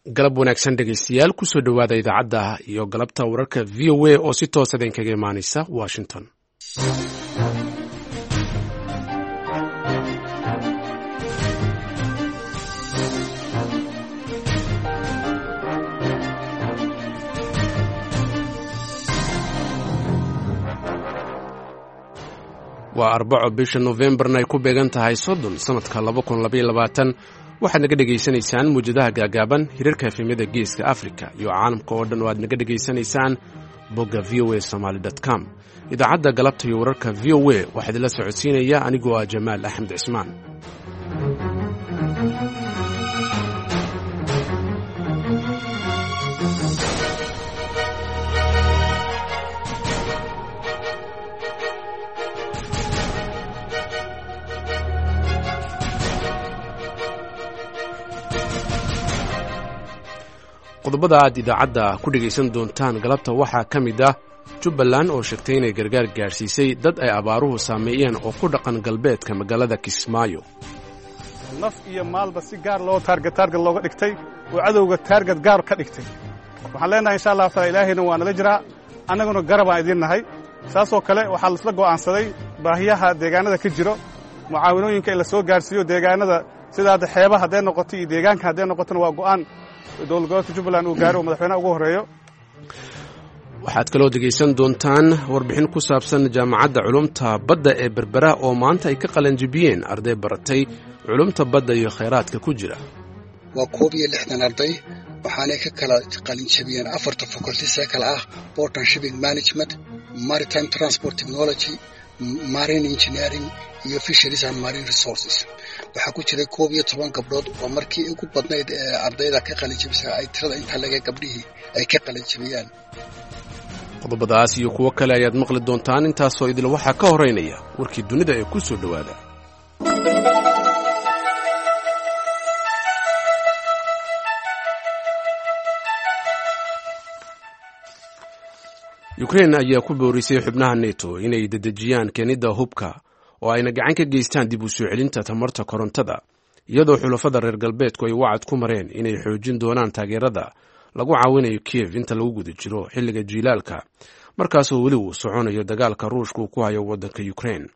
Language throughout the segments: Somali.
Galab wanaagsan dhegaystayaal, kusoo dhowaada idaacadda iyo galabta wararka VOA oo si toosa idinkaga imaanaysa Washington. Waa Arbaco, bisha Nofembarna ay ku beegan tahay 30, sanadka 2022. Waxaad naga dhegaysanaysaan muwjadaha gaagaaban, hirarka efemyada Geeska Africa iyo caalamka oo dhan oo aad naga dhegaysanaysaan bogga VOA Somaly com. Idaacadda galabta iyo wararka VOA waxaa idinla socodsiinaya anigoo ah Jamaal Axmed Cismaan. Qodobada aad idaacadda ku dhegaysan doontaan galabta waxaa ka mid ah Jubbaland oo sheegtay inay gargaar gaadhsiisay dad ay abaaruhu saameeyeen oo ku dhaqan galbeedka magaalada Kismaayo. Naf iyo maalba si gaar loo taarget taarget looga dhigtay oo cadowga taarget gaar ka dhigtay. Waxaan leenahay, insha Allahu taala, Ilaahayna waa nala jiraa, annaguna garabaan idiin nahay. Saasoo kale waxaa laisla go'aansaday baahiyaha deegaanada ka jiro, mucaawinooyinka in la soo gaarsiiyo deegaanada, sida hadda xeebaha hadday noqoto iyo deegaanka hadday noqotona, waa go'aan dowlad gobolka Jubbaland uu gaaro oo madaxweynaha ugu horreeyo. Waxaad kaloo dhegaysan doontaan warbixin ku saabsan Jaamacadda Culumta Badda ee Berbera oo maanta ay ka qalanjibiyeen arday baratay culumta badda iyo khayraadka ku jira. Waa 61 arday, waxaanay ka kala qalinjabiyeen afarta faculties ee kale ah port and shipping management, maritime transport technology, marine engineering iyo fisheries and marine resources. Waxaa ku jiray 11 gabdhood oo markii ugu badnayd ee ardayda ka qalinjabisa ay tirada intaa laga gabdhihii ay ka qalinjabiyaan. Qodobadaas iyo kuwo kale ayaad maqli doontaan. Intaasoo idil waxaa ka horeynaya warkii dunida ee ku soo dhowaada. Ukrein ayaa ku boorisay xubnaha NETO inay dedejiyaan keenidda hubka oo ayna gacan ka geystaan dib u soo celinta tamarta korontada, iyadoo xulafada reer galbeedku ay wacad ku mareen inay xoojin doonaan taageerada lagu caawinayo Kiev inta lagu guda jiro xilliga jiilaalka, markaasoo weli uu soconayo dagaalka Ruushka uu ku hayo waddanka Ukrein.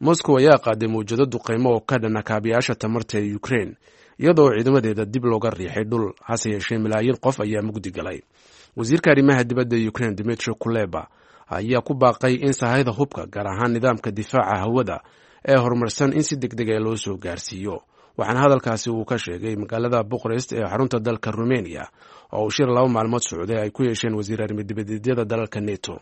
Moscow ayaa qaaday mawjado duqeymo oo ka dhana kaabiyaasha tamarta ee Ukrein, iyadoo ciidamadeeda dib looga riixay dhul, hase yeeshee malaayiin qof ayaa mugdi galay. Wasiirka arrimaha dibadda Ukrein Dimitri Kuleba ayaa ku baaqay in sahayda hubka, gaar ahaan nidaamka difaaca hawada ee horumarsan, in si deg dega loo soo gaarsiiyo. Waxaana hadalkaasi uu ka sheegay magaalada Buqarest ee xarunta dalka Rumeniya oo uu shir 2 maalmood socday ay ku yeesheen wasiir arrimo-dibadeedyada dalalka NETO.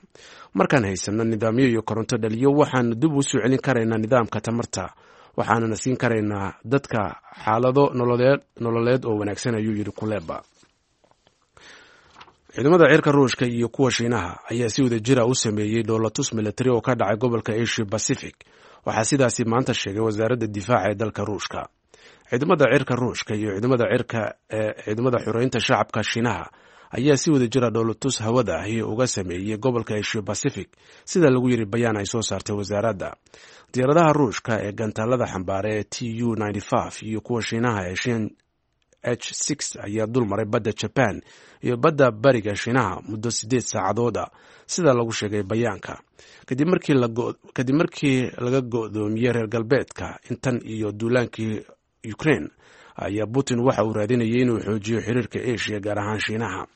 Markaan haysanno nidaamyo iyo koronto dhaliyo, waxaanu dib u soo celin karaynaa nidaamka tamarta, waxaanana siin karaynaa dadka xaalado nololeed oo wanaagsan, ayuu yidhi Kuleba. Ciidamada cirka Ruushka iyo kuwa Shiinaha ayaa si wada jira u sameeyey dhoolatus militari oo ka dhacay gobolka Asia Pacific. Waxaa sidaasi maanta sheegay wasaaradda difaaca ee dalka Ruushka. Ciidamada cirka Ruushka iyo ciidamada cirka ee Ciidamada Xoreynta Shacabka Shiinaha ayaa si wada jira dhoolatus hawada ahi uga sameeyey gobolka Asia Pacific, sida lagu yiri bayaan ay soo saartay wasaaradda. Diyaaradaha Ruushka ee gantaalada xambaara ee TU iyo kuwa Shiinaha ee Shin H ayaa dul maray badda Jaban iyo badda bariga Shiinaha muddo 8 saacadood a, sida lagu sheegay bayaanka, kadib markii laga go'doomiyey reer galbeedka intan iyo duulaankii Ukraine ayaa Putin waxa uu raadinayay inuu xoojiyo xiriirka Asia, gaar ahaan Shiinaha.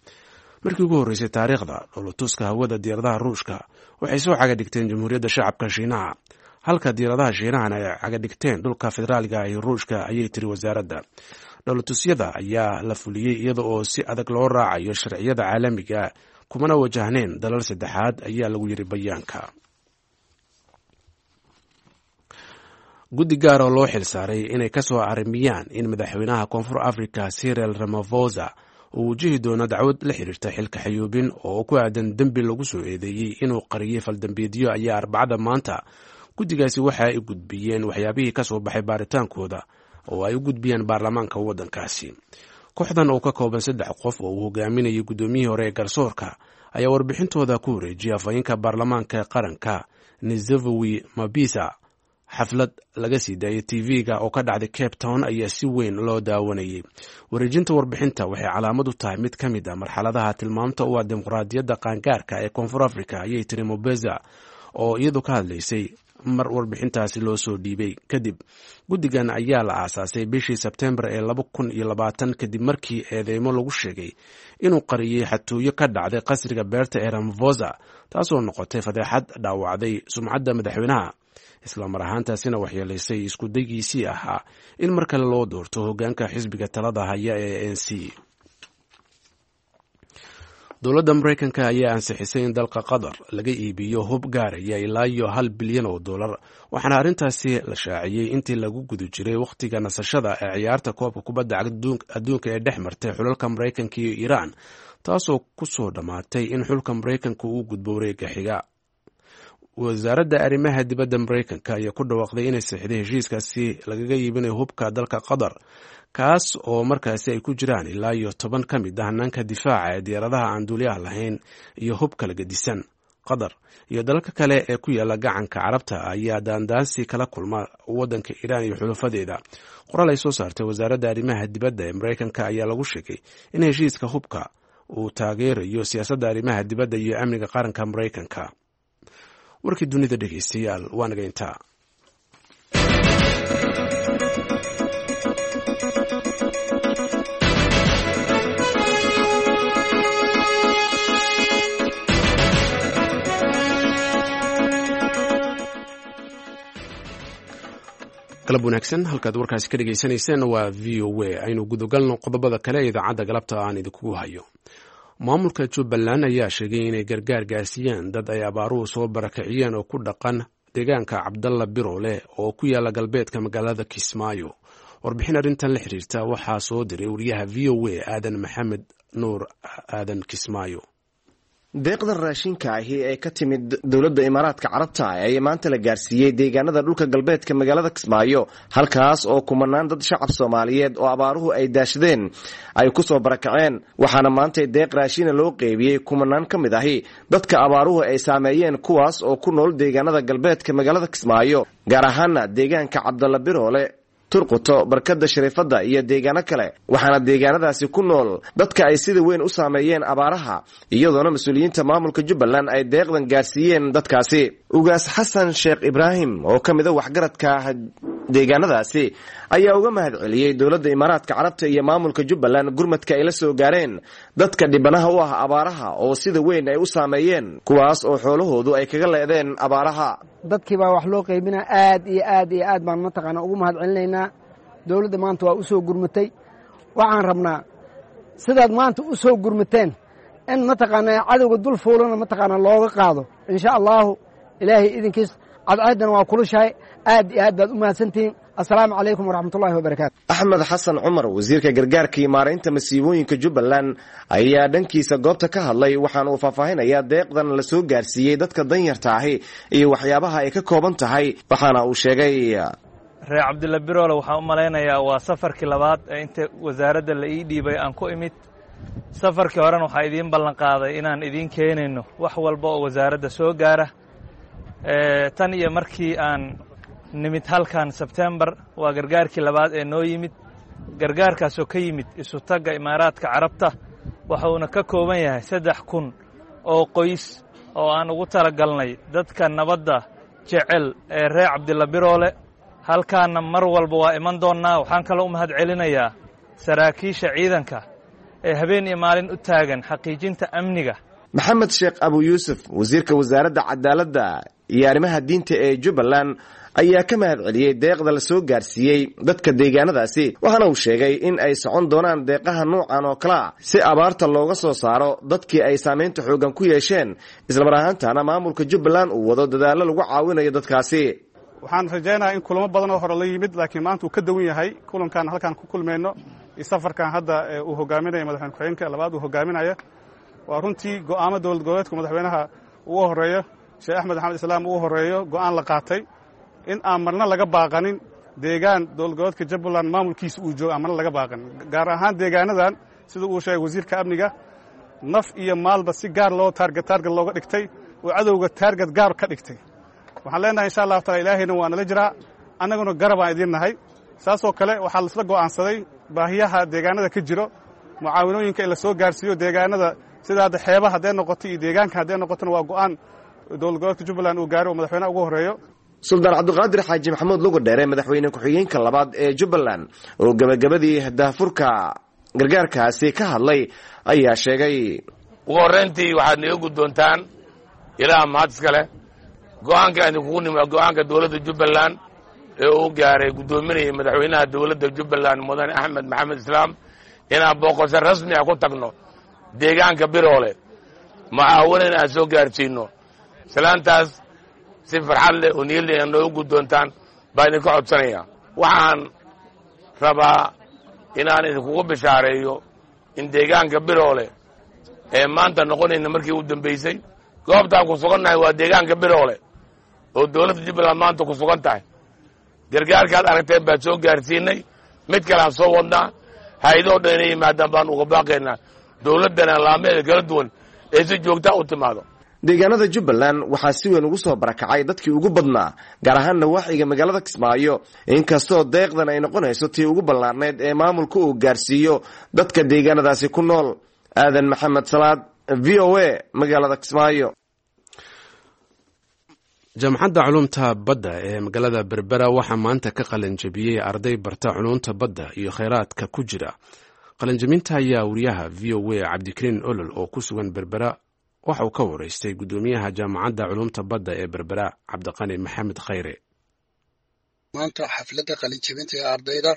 Markii ugu horreysay taariikhda, dhoolatuska hawada diyaaradaha Ruushka waxay soo caga dhigteen Jamhuuriyadda Shacabka Shiinaha, halka diyaaradaha Shiinahana ay caga dhigteen dhulka federaaliga ee Ruushka, ayay tiri wasaaradda. Dhoolatusyada ayaa la fuliyey iyada oo si adag loo raacayo sharciyada caalamiga, kumana wajahneen dalal saddexaad, ayaa lagu yiri bayaanka. Guddi gaar oo loo xil saaray inay ka soo arrimiyaan in madaxweynaha Koonfur Africa Cyril Ramaphosa uu wajihi doono dacwad la xiriirta xilka xayuubin oo ku aadan dembi lagu soo eedeeyey inuu qariyey faldambeedyo ayaa Arbacada maanta guddigaasi waxa ay gudbiyeen waxyaabihii ka soo baxay baaritaankooda oo ay u gudbiyeen baarlamaanka waddankaasi. Kooxdan oo ka kooban saddex qof oo uu hogaaminayay guddoomiyihii hore ee garsoorka ayaa warbixintooda ku wareejiyay afhayeenka baarlamaanka qaranka Nizevowi Mabisa. Xaflad laga sii daayay TV-ga oo ka dhacday Cape Town ayaa si weyn loo daawanayay. Wareejinta warbixinta waxay calaamad u tahay mid ka mid a marxaladaha tilmaamta u ah dimuqraadiyadda qaangaarka ee Koonfur Africa, ayay tiri Mobeza oo iyadu ka hadlaysay mar warbixintaasi loo soo dhiibay kadib. Guddigan ayaa la aasaasay bishii Sebtembar ee 2020 kadib markii eedeymo lagu sheegay inuu qariyey xatooyo ka dhacday qasriga beerta ee Ramaphosa, taasoo noqotay fadeexad dhaawacday sumcadda madaxweynaha, islamar ahaantaasina waxyeelaysay isku daygiisii ahaa in mar kale loo doorto hoggaanka xisbiga talada haya ee ANC. Dowladda Maraykanka ayaa ansixisay in dalka Qatar laga iibiyo hub gaaraya ilaa iyo $1 bilyan, waxaana arrintaasi la shaaciyey intii lagu guda jiray wakhtiga nasashada ee ciyaarta koobka kubadda adduunka ee dhex martay xulalka Maraykanka iyo Iiraan, taasoo ku soo dhammaatay in xulka Maraykanka uu gudbo wareegga xiga. Wasaaradda arrimaha dibadda Maraykanka ayaa ku dhawaaqday inay saxiixday heshiiskaasi lagaga iibinayo hubka dalka Qatar, kaas oo markaasi ay ku jiraan ilaa iyo 10 ka mid ah hanaanka difaaca ee diyaaradaha aan duuliyaha lahayn iyo hub kala gedisan. Qatar iyo dalalka kale ee ku yaala Gacanka Carabta ayaa daandaansi kala kulma waddanka Iiraan iyo xulafadeeda. Qoraal ay soo saartay wasaaradda arrimaha dibadda ee Maraykanka ayaa lagu sheegay in heshiiska hubka uu taageerayo siyaasadda arrimaha dibadda iyo amniga qaranka Maraykanka. Warkii dunida, dhegeystayaal, waa naga intaa. Galab wanaagsan, halkaad warkaasi ka dhegeysanayseen waa VOA. Aynu gudagalno qodobada kale ee idaacadda galabta aan idinkugu hayo. Maamulka Jubbaland ayaa sheegay inay gargaar gaarsiiyeen dad ay abaaruhu soo barakiciyeen oo ku dhaqan deegaanka Cabdalla Biroole oo ku yaala galbeedka magaalada Kismaayo. Warbixin arrintan la xiriirta waxaa soo diray wariyaha VOA Aadan Maxamed Nuur, Aadan Kismaayo. Deeqda raashinka ahi ee ka timid dowladda Imaaraadka Carabta ayaa maanta la gaarsiiyey deegaanada dhulka galbeedka magaalada Kismaayo, halkaas oo kumanaan dad shacab Soomaaliyeed oo abaaruhu ay daashadeen ay ku soo barakaceen. Waxaana maanta deeq raashina loo qeybiyey kumanaan ka mid ahi dadka abaaruhu ay saameeyeen, kuwaas oo ku nool deegaanada galbeedka magaalada Kismaayo, gaar ahaana deegaanka Cabdalla Biroole, Turquto, Barkada Shariifadda iyo deegaano kale. Waxaana deegaanadaasi ku nool dadka ay sida weyn u saameeyeen abaaraha, iyadoona mas-uuliyiinta maamulka Jubbaland ay deeqdan gaarsiiyeen dadkaasi. Ugaas Xasan Sheekh Ibraahim oo ka mida waxgaradka deegaanadaasi ayaa uga mahad celiyey dowladda Imaaraadka Carabta iyo maamulka Jubbaland gurmadka ay la soo gaareen dadka dhibanaha u ah abaaraha oo sida weyn ay u saameeyeen, kuwaas oo xoolahoodu ay kaga leedeen abaaraha. Dadkii baa wax loo qaybinaa. Aad iyo aad iyo aad baan mataqaanaa ugu mahad celinaynaa dowladda. Maanta waa u soo gurmatay. Waxaan rabnaa sidaad maanta u soo gurmateen in mataqaanaa cadowga dul fuulana mataqaanaa looga qaado, insha Allaahu, Ilaahay idinkiis. Cadceeddana waa kulushahay. Aad iyo aad baad u mahadsantihiin. Assalaamu calaykum waraxmatullahi wabarakaatu. Axmed Xasan Cumar, wasiirka gargaarka iyo maaraynta masiibooyinka Jubbaland, ayaa dhankiisa goobta ka hadlay, waxaana uu faahfaahinayaa deeqdan la soo gaarsiiyey dadka danyarta ahi iyo waxyaabaha ay ka kooban tahay. Waxaana uu sheegay: Reer Cabdilla Biroole waxaan u malaynayaa waa safarkii labaad ee inta wasaaradda la ii dhiibay aan ku imid. Safarkii horena waxaa idiin ballanqaaday inaan idiin keenayno wax walba oo wasaaradda soo gaara. Tan iyo markii aan nimid halkan Sebtembar, waa gargaarkii labaad ee noo yimid, gargaarkaasoo ka yimid Isutagga Imaaraadka Carabta. Waxuuna ka kooban yahay 3000 oo qoys oo aan ugu talagalnay dadka nabadda jecel ee reer Cabdilla Biroole. Halkaanna mar walba waa iman doonnaa. Waxaan kaloo u mahad celinayaa saraakiisha ciidanka ee habeen iyo maalin u taagan xaqiijinta amniga. Maxamed Sheekh Abu Yuusuf, wasiirka wasaaradda cadaaladda iyo arrimaha diinta ee Jubbaland, ayaa ka mahad celiyey deeqda la soo gaarsiiyey dadka deegaanadaasi, waxaana uu sheegay in ay socon doonaan deeqaha nuucan oo kalea si abaarta looga soo saaro dadkii ay saamaynta xooggan ku yeesheen, islamar ahaantaana maamulka Jubbaland uu wado dadaallo lagu caawinayo dadkaasi. Waxaan rajaynayaa in kulamo badan oo hore la yimid, laakiin maanta uu ka duwan yahay kulankan halkaan ku kulmayno iyo safarkan hadda uu hogaaminaya madaxweyne ku-xigeenka labaad uu hogaaminaya. Waa runtii go'aamo dowlad goboleedku madaxweynaha ugu horeeyo, Sheekh Axmed Axmed Islaam ugu horeeyo, go'aan la qaatay in aan marna laga baaqanin deegaan dowlad goboleedka Jubbaland maamulkiisa uu joogo aan marna laga baaqanin, gaar ahaan deegaanadan sida uu sheegay wasiirka amniga, naf iyo maalba si gaar loo target looga dhigtay oo cadowga target gaar ka dhigtay. Waxaan leenahay, insha Allahu taala, Ilaahayna waa nala jiraa, annaguna garabaan idiin nahay. Saasoo kale waxaa laisla go'aansaday baahiyaha deegaanada ka jiro, mucaawinooyinka in la soo gaarsiiyo deegaanada, sida hadda xeebaha hadday noqoto iyo deegaanka hadday noqotona. Waa go'aan dowlad goboleedka Jubbaland uu gaaray oo madaxweynaha ugu horreeyo. Suldaan Cabdiqaadir Xaaji Maxamuud Lugadheere, madaxweyne ku-xigeenka labaad ee Jubbaland, oo gebagabadii daahfurka gargaarkaasi ka hadlay ayaa sheegay: Ugu horrayntii waxaad naga guddoontaan, Ilaah mahad iska leh, go'aanka idinkugu nimi waa go'aanka dowladda Jubbaland ee uu gaaray guddoominaya madaxweynaha dowladda Jubbaland, Mudane Axmed Maxamed Islaam, inaan booqasho rasmi ah ku tagno deegaanka Biroole, mucaawanana aan soo gaarsiino. Salaantaas si farxad leh oo niyad leh inaad noogu guddoontaan baa idinka codsanaya. Waxaan rabaa inaan idinkugu bishaareeyo in deegaanka Biroole ee maanta noqonayna markii u dambaysay. Goobtaan ku sugannahay waa deegaanka Biroole oo dowladda Jubbaland maanta ku sugan tahay. Gargaarkaad aragteen baan soo gaarsiinay, mid kaleaan soo wadnaa. Hay-adoo dhan inay yimaadaan baan uga baaqaynaa, dowladdana laameeda kala duwan ee si joogtaa u timaado. Deegaanada Jubbaland waxaa si weyn ugu soo barakacay dadkii ugu badnaa, gaar ahaan nawaaxiga magaalada Kismaayo, inkastoo deeqdan ay noqonayso tii ugu ballaarneyd ee maamulka uu gaarsiiyo dadka deegaanadaasi ku nool. Aadan Maxamed Salaad, VOA, magaalada Kismaayo. Jaamacadda Culumta Badda ee magaalada Berbera waxaa maanta ka qalinjabiyey arday barta culumta badda iyo kheyraadka ku jira. Qalinjabinta ayaa wariyaha VOA Cabdikariin Olol oo ku sugan Berbera waxa uu ka wareystay guddoomiyaha Jaamacadda Culumta Badda ee Berbera, Cabdiqani Maxamed Khayre. Maanta xafladda qalinjabinta ee ardayda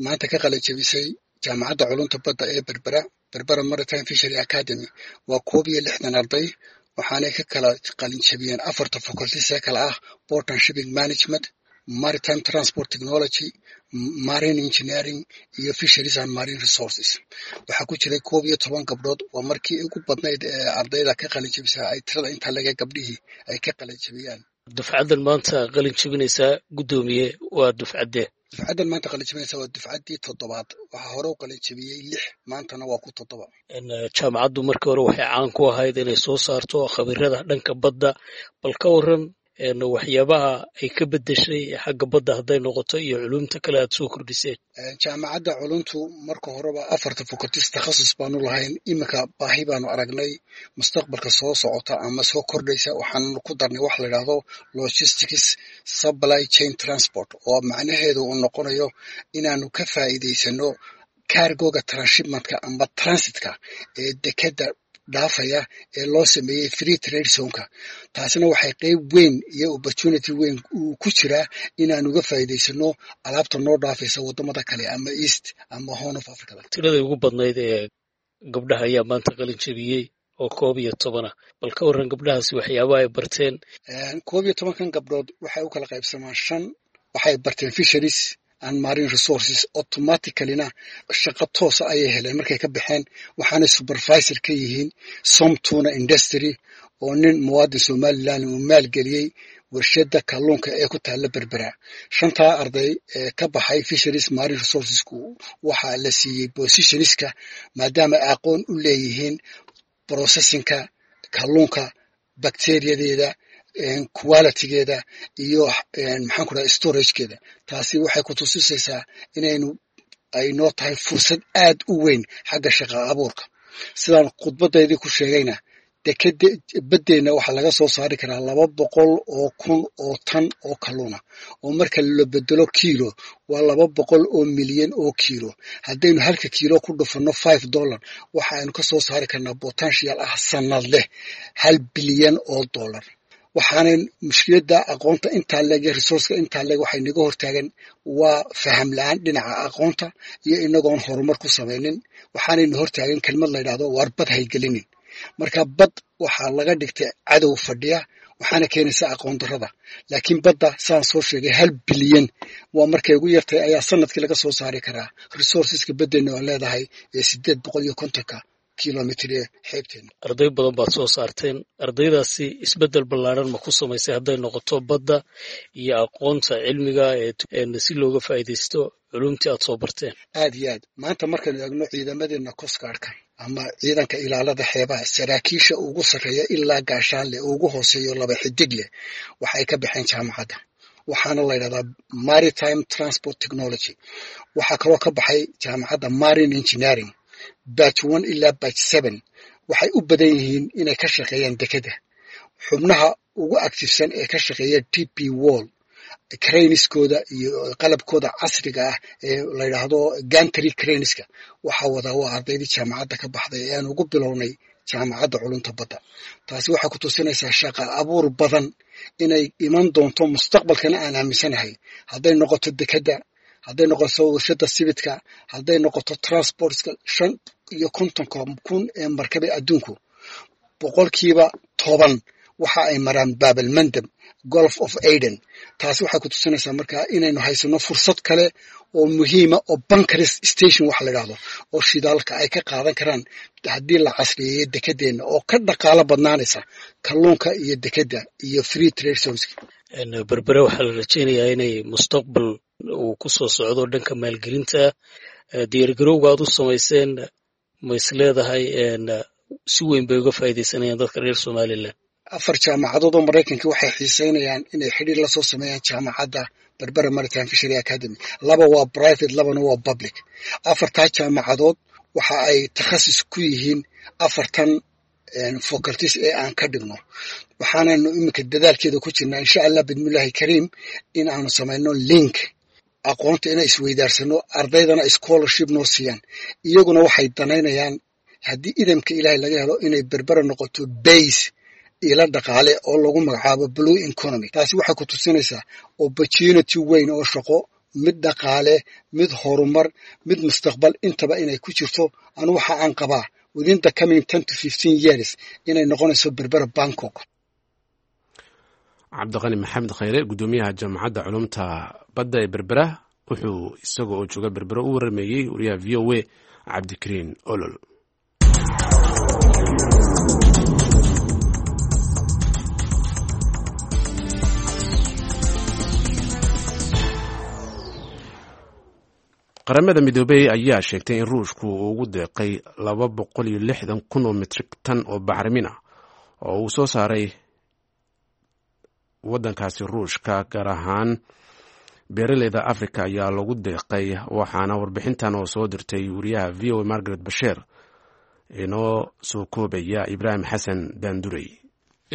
maanta ka qalinjabisay Jaamacadda Culumta Badda ee Berbera, Berbera Maritime Fishery Academy, waa 61 arday. Waxaanay ka kala qalinjabiyeen afarta faculties ee kala ah port and shipping management, maritime transport technology, marine engineering iyo fisheries and marine resources. Waxaa ku jiray 11 gabdhood. Waa markii ugu badnayd ee ardayda ka qalinjabisa ay tirada intaa laga gabdhihii ay ka qalinjabiyaan. Dufcaddan maanta qalin jabinaysaa, guddoomiye, waa dufcaddee? Dufcaddan maanta qalin jabinaysa waa dufcaddii toddobaad. Waxaa hore u qalin jabiyey lix, maantana waa ku toddoba. Jaamacaddu markii hore waxay caan ku ahayd inay soo saarto khabirada dhanka badda. Bal ka waran waxyaabaha ay ka beddeshay xagga badda hadday noqoto iyo culumta kale aad soo kordhiseen? Jaamacadda culumtu marka horeba afarta faculties takhasus baanu lahayn. Iminka baahi baanu aragnay mustaqbalka soo socota ama soo kordhaysa. Waxaanu ku darnay wax la yidhaahdo logistics, supply chain, transport, oo macnaheedu uu noqonayo inaanu ka faa'iidaysano cargoga transshipmentka amba transitka ee dekeda dhaafaya ee loo sameeyey free trade zoneka. Taasina waxay qeyb weyn iyo opportunity weyn uu ku jiraa inaan uga faa'iidaysano alaabta noo dhaafaysa waddamada kale ama East ama Horn of Africa. Tiradii ugu badnayd ee gabdhaha ayaa maanta qalin jabiyey oo 11 ah. Bal ka warran gabdhahaasi waxyaabaha ay barteen? 11-kan gabdhood waxay u kala qaybsamaan shan. Waxay barteen fisheries and marine resources, automaticallyna shaqo toosa ayay heleen markay ka baxeen. Waxaanay supervisor ka yihiin Somtuna Industry, oo nin muwaadin Somaliland uu maalgeliyey warshadda kalluunka ee ku taalla Berbera. Shantaa arday ee ka baxay fisheries marine resourcesku waxaa la siiyey positionska, maadaama ay aqoon u leeyihiin processingka kalluunka, bacteriadeeda, qualitygeeda iyo, maxaan ku dhaha, storagekeeda. Taasi waxay ku tusisaysaa inaynu ay noo tahay fursad aad u weyn xagga shaqa abuurka. Sidaan khudbadaydii ku sheegayna, dekeda baddeenna waxaa laga soo saari karaa 200,000 oo tan oo kalluuna, oo marka la bedelo kiilo waa 200 milyan oo kiilo. Haddaynu halka kiilo ku dhufanno $5, waxa aynu ka soo saari karnaa potential ah sanad leh $1 bilyan. Waxaanay mushkiladda aqoonta intaa leeg iyo resourceka intaa leeg waxay naga hortaagan waa faham la-aan dhinaca aqoonta iyo inagoon horumar ku samaynin. Waxaanayna hortaagan kelmad la yidhahdo "waar bad haygelinin". Marka bad waxaa laga dhigtay cadow fadhiya, waxaana keenaysa aqoon darrada. Laakiin badda, saan soo sheegay, 1 bilyan waa markay ugu yartay ayaa sanadkii laga soo saari karaa resourceska baddeenna oo leedahay ee 850-ka kilomitr ee xeebteena. Arday badan baad soo saarteen. Ardaydaasi isbeddel ballaaran ma ku samaysay hadday noqoto badda iyo aqoonta cilmiga ee si looga faa'iidaysto culumtii aad soo barteen? Aad iyo aad. Maanta markaynu eegno ciidamadeena coastguardka Ama ciidanka ilaalada xeebaha, saraakiisha ugu sarreeya ilaa gaashaanleh, ugu hooseeyo laba xidig leh, waxay ka baxeen jaamacadda. Waxaana la yidhahdaa Maritime Transport Technology. Waxaa kaloo ka baxay jaamacadda Marine Engineering, batch 1 ilaa batch 7. Waxay u badan yihiin inay ka shaqeeyaan dekeda. Xubnaha ugu active-san ee ka shaqeeya DP World, cranes-kooda iyo qalabkooda casriga ah ee la yidhaahdo gantry cranes-ka waxaa wadaa waa ardaydii jaamacadda ka baxday ee aan ugu bilownay Jaamacadda Culunta Badda. Taasi waxay ku tusinaysaa shaqa abuur badan inay iman doonto mustaqbalkana aan aaminsanahay, hadday noqoto dekadda, hadday noqoto warshada sibidka, hadday noqoto transports-ka. 55-ka kun ee markabe adduunku, 10% waxa ay maraan Baabalmandab, Gulf of Aden. Taasi waxay ku tusinaysaa markaa inaynu haysano fursad kale oo muhiima oo bunkers station waxa la idhahdo oo shidaalka ay ka qaadan karaan haddii la casriyeeyo dekedeenna, oo ka dhaqaalo badnaanaysa kalluunka iyo dekedda iyo free trade zones. Berbere waxaa la rajaynayaa inay mustaqbal uu ku soo socdo dhanka maalgelinta. Diyaargarowga aad u samayseen, ma is leedahay si weyn bay uga faa'iidaysanayaan dadka reer Somaliland? Afar jaamacadood oo Maraykanka waxay xiiseynayaan inay xidhiir la soo sameeyaan jaamacadda Berbera Maritime Fishery Academy. Laba waa private, labana waa public. Afartaa jaamacadood waxa ay takhasus ku yihiin afartan faculties ee aan ka dhigno. Waxaananu iminka dadaalkeeda ku jirnaa, insha Allah bidmillahi kariim, in aanu samayno link aqoonta inay isweydaarsano, ardaydana scholarship noo siiyaan. Iyaguna waxay danaynayaan, haddii idamka Ilaahay laga helo, inay Berbera noqoto base ila dhaqaale oo lagu magacaabo blue economy. Taasi waxay ku tusinaysaa opportunity weyn oo shaqo, mid dhaqaale, mid horumar, mid mustaqbal intaba inay ku jirto. Anu waxa aan qabaa within the coming 10 to 15 years inay noqonayso Berbera Bangkok. Cabdiqani Maxamed Khayre, guddoomiyaha Jaamacadda Culumta Badda ee Berbera, wuxuu isaga oo jooga Berbera u warameeyey wariyaha VOA Cabdikariin Olol. Qaramada Midoobey ayaa sheegtay in Ruushku uu ugu deeqay 260,000 oo metrik tan oo bacrimin ah oo uu soo saaray waddankaasi Ruushka. Gaar ahaan beeraleyda Africa ayaa lagu deeqay. Waxaana warbixintan oo soo dirtay wariyaha VOA Margaret Basheer inoo soo koobaya Ibraahim Xasan Daandurey.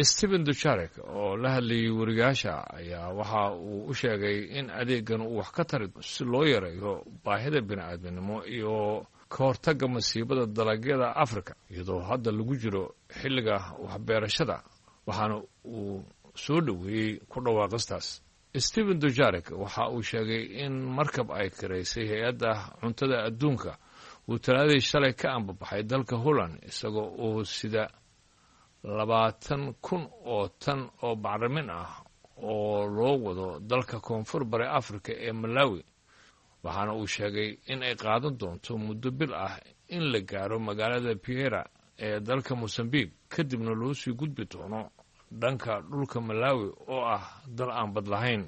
Stephen Dujarric oo la hadlayay wariyaasha ayaa waxa uu u sheegay in adeegan uu wax ka tari si loo yareeyo baahida bini'aadminimo iyo ka hortagga masiibada dalagyada Africa, iyadoo hadda lagu jiro xilliga waxbeerashada, waxaana uu soo dhoweeyey ku dhawaaqistaas. Stephen Dujarric waxa uu sheegay in markab ay kiraysay Hay-adda Cuntada Adduunka uu Talaadii shalay ka ambabaxay dalka Holland, isagoo uu sida 20,000 oo tan oo bacrimin ah oo loo wado dalka Koonfur Bari Africa ee Malawi. Waxaana uu sheegay in ay qaadan doonto muddo bil ah in la gaaro magaalada Beira ee dalka Mosambique, kadibna loo sii gudbi doono dhanka dhulka Malawi oo ah dal aan bad lahayn.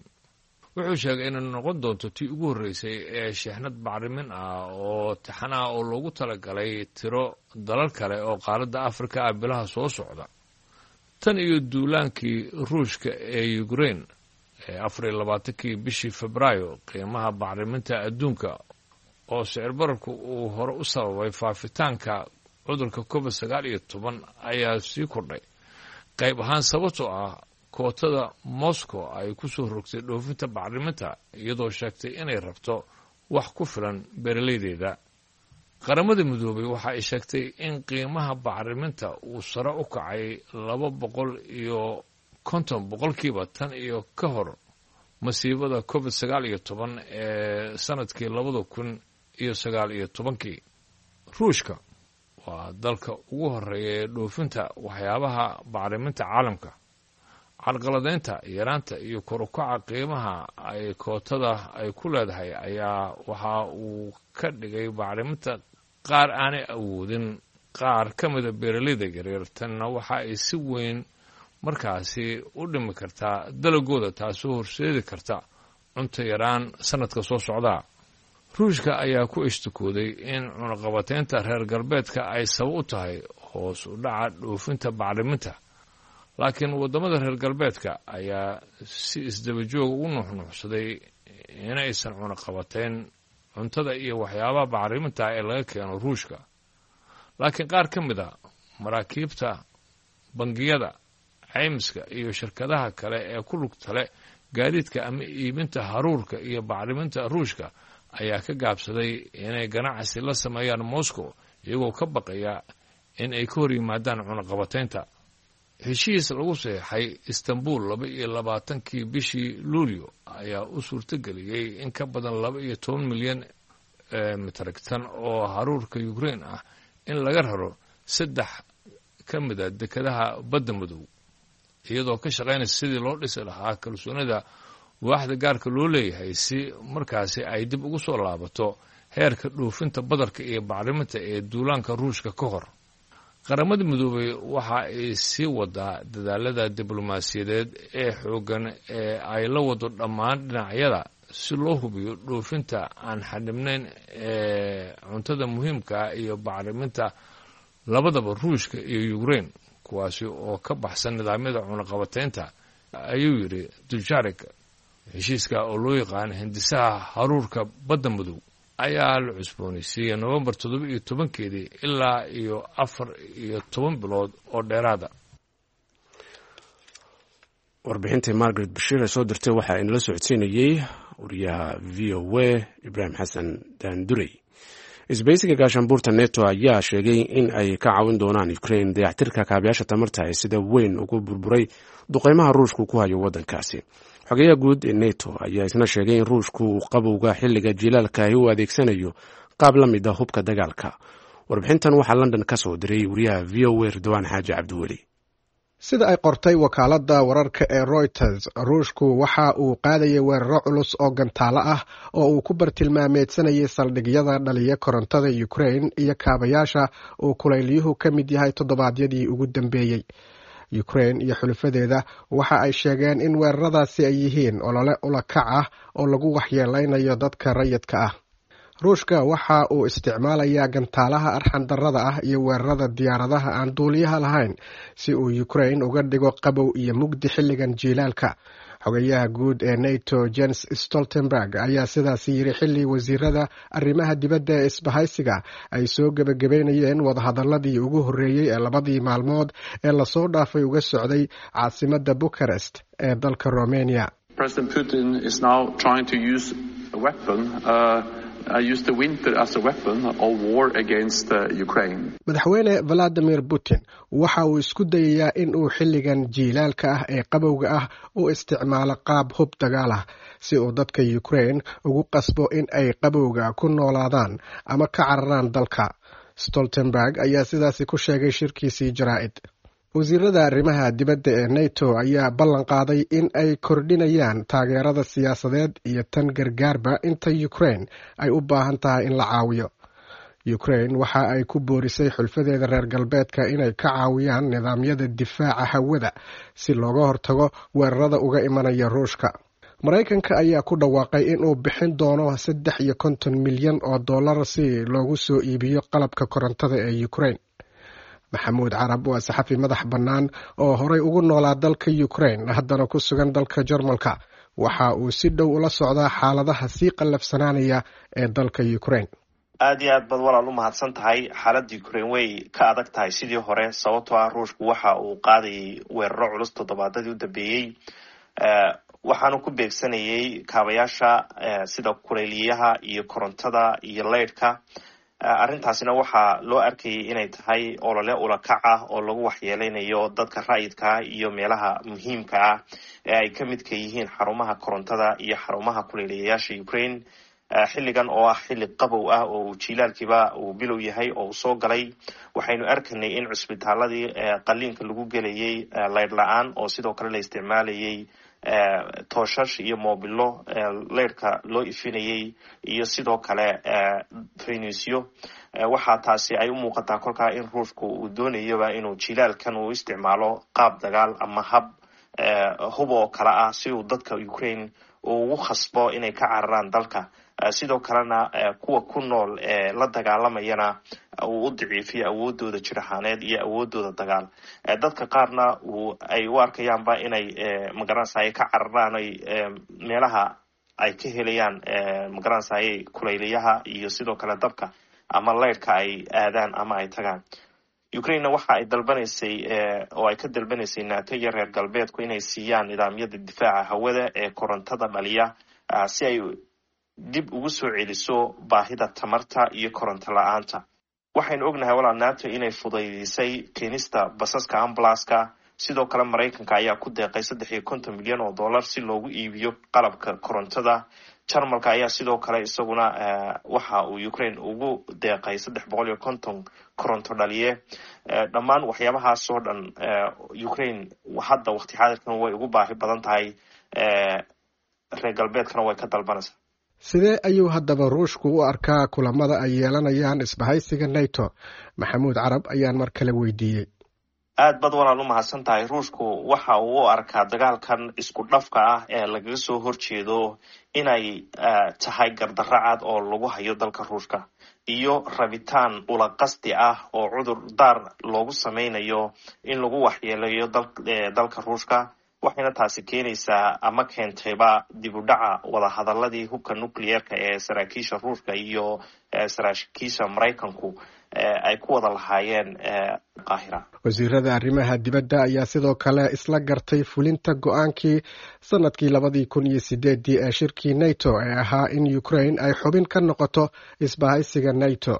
Wuxuu sheegay inay noqon doonto tii ugu horreysay ee sheexnad bacrimin ah oo taxan ah oo loogu talagalay tiro dalal kale oo qaaradda Afrika ah bilaha soo socda. Tan iyo duulaankii Ruushka ee Ukraine ee 24-kii bishii Febraayo, qiimaha bacriminta adduunka oo sicir bararku uu hore u sababay faafitaanka cudurka COVID-19 ayaa sii kordhay, qayb ahaan sababtoo ah kootada Moscow ay ku soo rogtay dhoofinta bacriminta, iyadoo sheegtay inay rabto wax ku filan beeralaydeeda. Qaramada Midoobay waxa ay sheegtay in qiimaha bacriminta uu sare u kacay 250% tan iyo ka hor masiibada COVID-19 ee sanadkii 2019-kii. Ruushka waa dalka ugu horeeya ee dhoofinta waxyaabaha bacriminta caalamka. Carqaladeynta yaraanta iyo kor u kaca qiimaha ay kootada ay ku leedahay ayaa waxa uu ka dhigay bacriminta qaar aanay awoodin qaar ka mida beeralayda yaryar. Tanna waxa ay si weyn markaasi u dhimi kartaa dalagooda, taasoo horseedi karta cunto yaraan sanadka soo socda. Ruushka ayaa ku ishtikooday in cunaqabateynta reer galbeedka ay sabab u tahay hoos u dhaca dhoofinta bacriminta, laakiin waddamada reer galbeedka ayaa si isdaba joog ugu nuuxnuuxsaday inaysan cunaqabateyn cuntada iyo waxyaabaha bacriminta ee laga keeno Ruushka. Laakiin qaar ka mid a maraakiibta, bangiyada, caymiska iyo shirkadaha kale ee ku lugta leh gaadiidka ama iibinta haruurka iyo bacriminta Ruushka ayaa ka gaabsaday inay ganacsi la sameeyaan Moscow, iyagoo ka baqaya in ay ka hor yimaadaan cunaqabateynta. Heshiis lagu saxeexay Istanbul 22-kii bishii Luulyo ayaa u suurtageliyey in ka badan 12 milyan metric ton oo haruurka Ukraine ah in laga raro saddex ka mida dekedaha Badda Madow, iyadoo ka shaqaynaysa sidii loo dhisi lahaa kalsoonida waaxda gaarka loo leeyahay, si markaasi ay dib ugu soo laabato heerka dhoofinta badarka iyo bacriminta ee duulaanka Ruushka ka hor. Qaramada Midoobay waxa ay sii wadaa dadaalada diblomaasiyadeed ee xooggan ee ay la wado dhammaan dhinacyada si loo hubiyo dhoofinta aan xadhibnayn ee cuntada muhiimka iyo bacriminta labadaba Ruushka iyo Ukraine, kuwaasi oo ka baxsan nidaamyada cunaqabateynta, ayuu yidhi Dujarric. Heshiiska oo loo yaqaan hindisaha haruurka Badda Madow ayaa la cusboonaysiiyey Novembar 17-keedii ilaa iyo 14 bilood oo dheeraada. Warbixintii Margaret Bashiir ee soo dirtay waxaa inala socodsiinayey wariyaha VOA Ibraahim Xasan Daandurey. Isbahaysiga gaashaanbuurta NETO ayaa sheegay in ay ka caawin doonaan Ukraine dayactirka kaabayaasha tamarta ee sida weyn ugu burburay duqeymaha Ruushku ku hayo waddankaasi. Xogeyaha guud ee NETO ayaa isna sheegay in Ruushku uu qabowga xilliga jilaalkaahi u adeegsanayo qaab la mid a hubka dagaalka. Warbixintan waxaa London ka soo diray wariyaha VOA Ridwaan Xaaji Cabdiweli. Sida ay qortay wakaaladda wararka ee Reuters, Ruushku waxa uu qaadayay weeraro culus oo gantaalo ah oo uu ku bartilmaameedsanayay saldhigyada dhaliya korontada Ukraine iyo kaabayaasha uu kulayliyuhu ka mid yahay toddobaadyadii ugu dambeeyey. Ukraine iyo xulafadeeda waxa ay sheegeen in weeraradaasi ay yihiin olole ulakac ah oo lagu waxyeeleynayo dadka rayidka ah. Ruushka waxa uu isticmaalayaa gantaalaha arxandarrada ah iyo weerarada diyaaradaha aan duuliyaha lahayn si uu Ukraine uga dhigo qabow iyo mugdi xilligan jiilaalka. Xogayaha guud ee NATO Jens Stoltenberg ayaa sidaasi yiri xilli wasiirada arrimaha dibadda ee isbahaysiga ay soo gebagabeynayeen wadahadaladii ugu horreeyey ee labadii maalmood ee lasoo dhaafay uga socday caasimadda Bukarest ee dalka Romania. President Putin is now trying to use a weapon, use the winter as a weapon of war against Ukraine. Madaxweyne Valadimir Putin waxa uu isku dayayaa in uu xilligan jiilaalka ah ee qabowga ah u isticmaalo qaab hub dagaal ah si uu dadka Ukraine ugu qasbo in ay qabowga ku noolaadaan ama ka cararaan dalka. Stoltenberg ayaa sidaasi ku sheegay shirkiisii jaraa'id. Wasiirada arrimaha dibadda ee NATO ayaa ballan qaaday in ay kordhinayaan taageerada siyaasadeed iyo tan gargaarba inta Ukraine ay u baahan tahay in la caawiyo. Ukraine waxa ay ku boorisay xulfadeeda reer galbeedka inay ka caawiyaan nidaamyada difaaca hawada si looga hortago weerarada uga imanaya Ruushka. Maraykanka ayaa ku dhawaaqay inuu bixin doono 53 milyan oo dollar si loogu soo iibiyo qalabka korontada ee Ukraine. Maxamuud Carab waa saxafi madax bannaan oo horey ugu noolaa dalka Ukraine, haddana ku sugan dalka Jarmalka. Waxa uu si dhow ula socdaa xaaladaha sii qallafsanaanaya ee dalka Ukraine. Aad iyo aad baad walaal u mahadsan tahay. Xaaladda Ukraine way ka adag tahay sidii hore, sababtoo ah Ruushku waxa uu qaadayay weeraro culus toddobaadadii u dambeeyey. Waxaanu ku beegsanayay kaabayaasha sida kuleyliyaha iyo korontada iyo leydhka. Arrintaasina waxaa loo arkayay inay tahay olole ulakac ah oo lagu waxyeeleynayo dadka rayidka iyo meelaha muhiimka ah ee ay ka midka yihiin xarumaha korontada iyo xarumaha kuleyliyayaasha Ukraine, xilligan oo ah xilli qabow ah oo uu jilaalkiiba uu bilow yahay oo uu soo galay. Waxaynu arkanay in cusbitaaladii qaliinka lagu gelayay leydh la-aan, oo sidoo kale la isticmaalayay tooshash iyo moobilo leydhka loo ifinayay iyo sidoo kale faynuusyo. Waxaa taasi ay u muuqataa kolkaa in Ruushku uu doonayoba inuu jilaalkan uu isticmaalo qaab dagaal ama hab hub oo kale ah si uu dadka Ukraine uu ugu khasbo inay ka cararaan dalka. Sidoo kalena kuwa ku nool ee la dagaalamayana uu u daciifiyo awoodooda jir ahaaneed iyo awoodooda dagaal. Dadka qaarna ay u arkayaanba inay magaranaysaye ka cararaan, ay meelaha ay ka helayaan magaranaysaye kulaylayaha iyo sidoo kale dabka ama leyrhka ay aadaan ama ay tagaan. Ukrainena waxa ay dalbanaysay oo ay ka dalbanaysay NATO iyo reer galbeedku inay siiyaan nidaamyada difaaca hawada ee korontada dhaliya, si ay dib ugu soo celiso baahida tamarta iyo koronto la-aanta. Waxaynu ognahay, walaal, NATO inay fudaydisay keenista basaska ambalaska. Sidoo kale Maraykanka ayaa ku deeqay 53 milyan oo dollar si loogu iibiyo qalabka korontada. Jarmalka ayaa sidoo kale isaguna waxa uu Ukraine ugu deeqay 350 koronto dhaliye. Dhammaan waxyaabahaas oo dhan Ukraine hadda waqti xaadirkan way ugu baahi badan tahay, reer galbeedkana way ka dalbanaysaa. Sidee ayuu haddaba Ruushku u arkaa kulamada ay yeelanayaan isbahaysiga NATO? Maxamuud Carab ayaan mar kale weydiiyey. Aad baad, walaal, u mahadsan tahay. Ruushku waxa uu u arkaa dagaalkan isku dhafka ah ee lagaga soo horjeedo inay tahay gardarro cad oo lagu hayo dalka Ruushka iyo rabitaan ula qasdi ah oo cudur daar loogu sameynayo in lagu waxyeeleeyo dalka Ruushka. Waxayna taasi keenaysaa ama keentayba dib u dhaca wadahadaladii hubka nucleerka ee saraakiisha Ruushka iyo saraakiisha Maraykanku ay ku wada lahaayeen Qaahira. Wasiirada arrimaha dibadda ayaa sidoo kale isla gartay fulinta go-aankii sanadkii 2008-dii ee shirkii NATO ee ahaa in Ukraine ay xubin ka noqoto isbahaysiga NATO.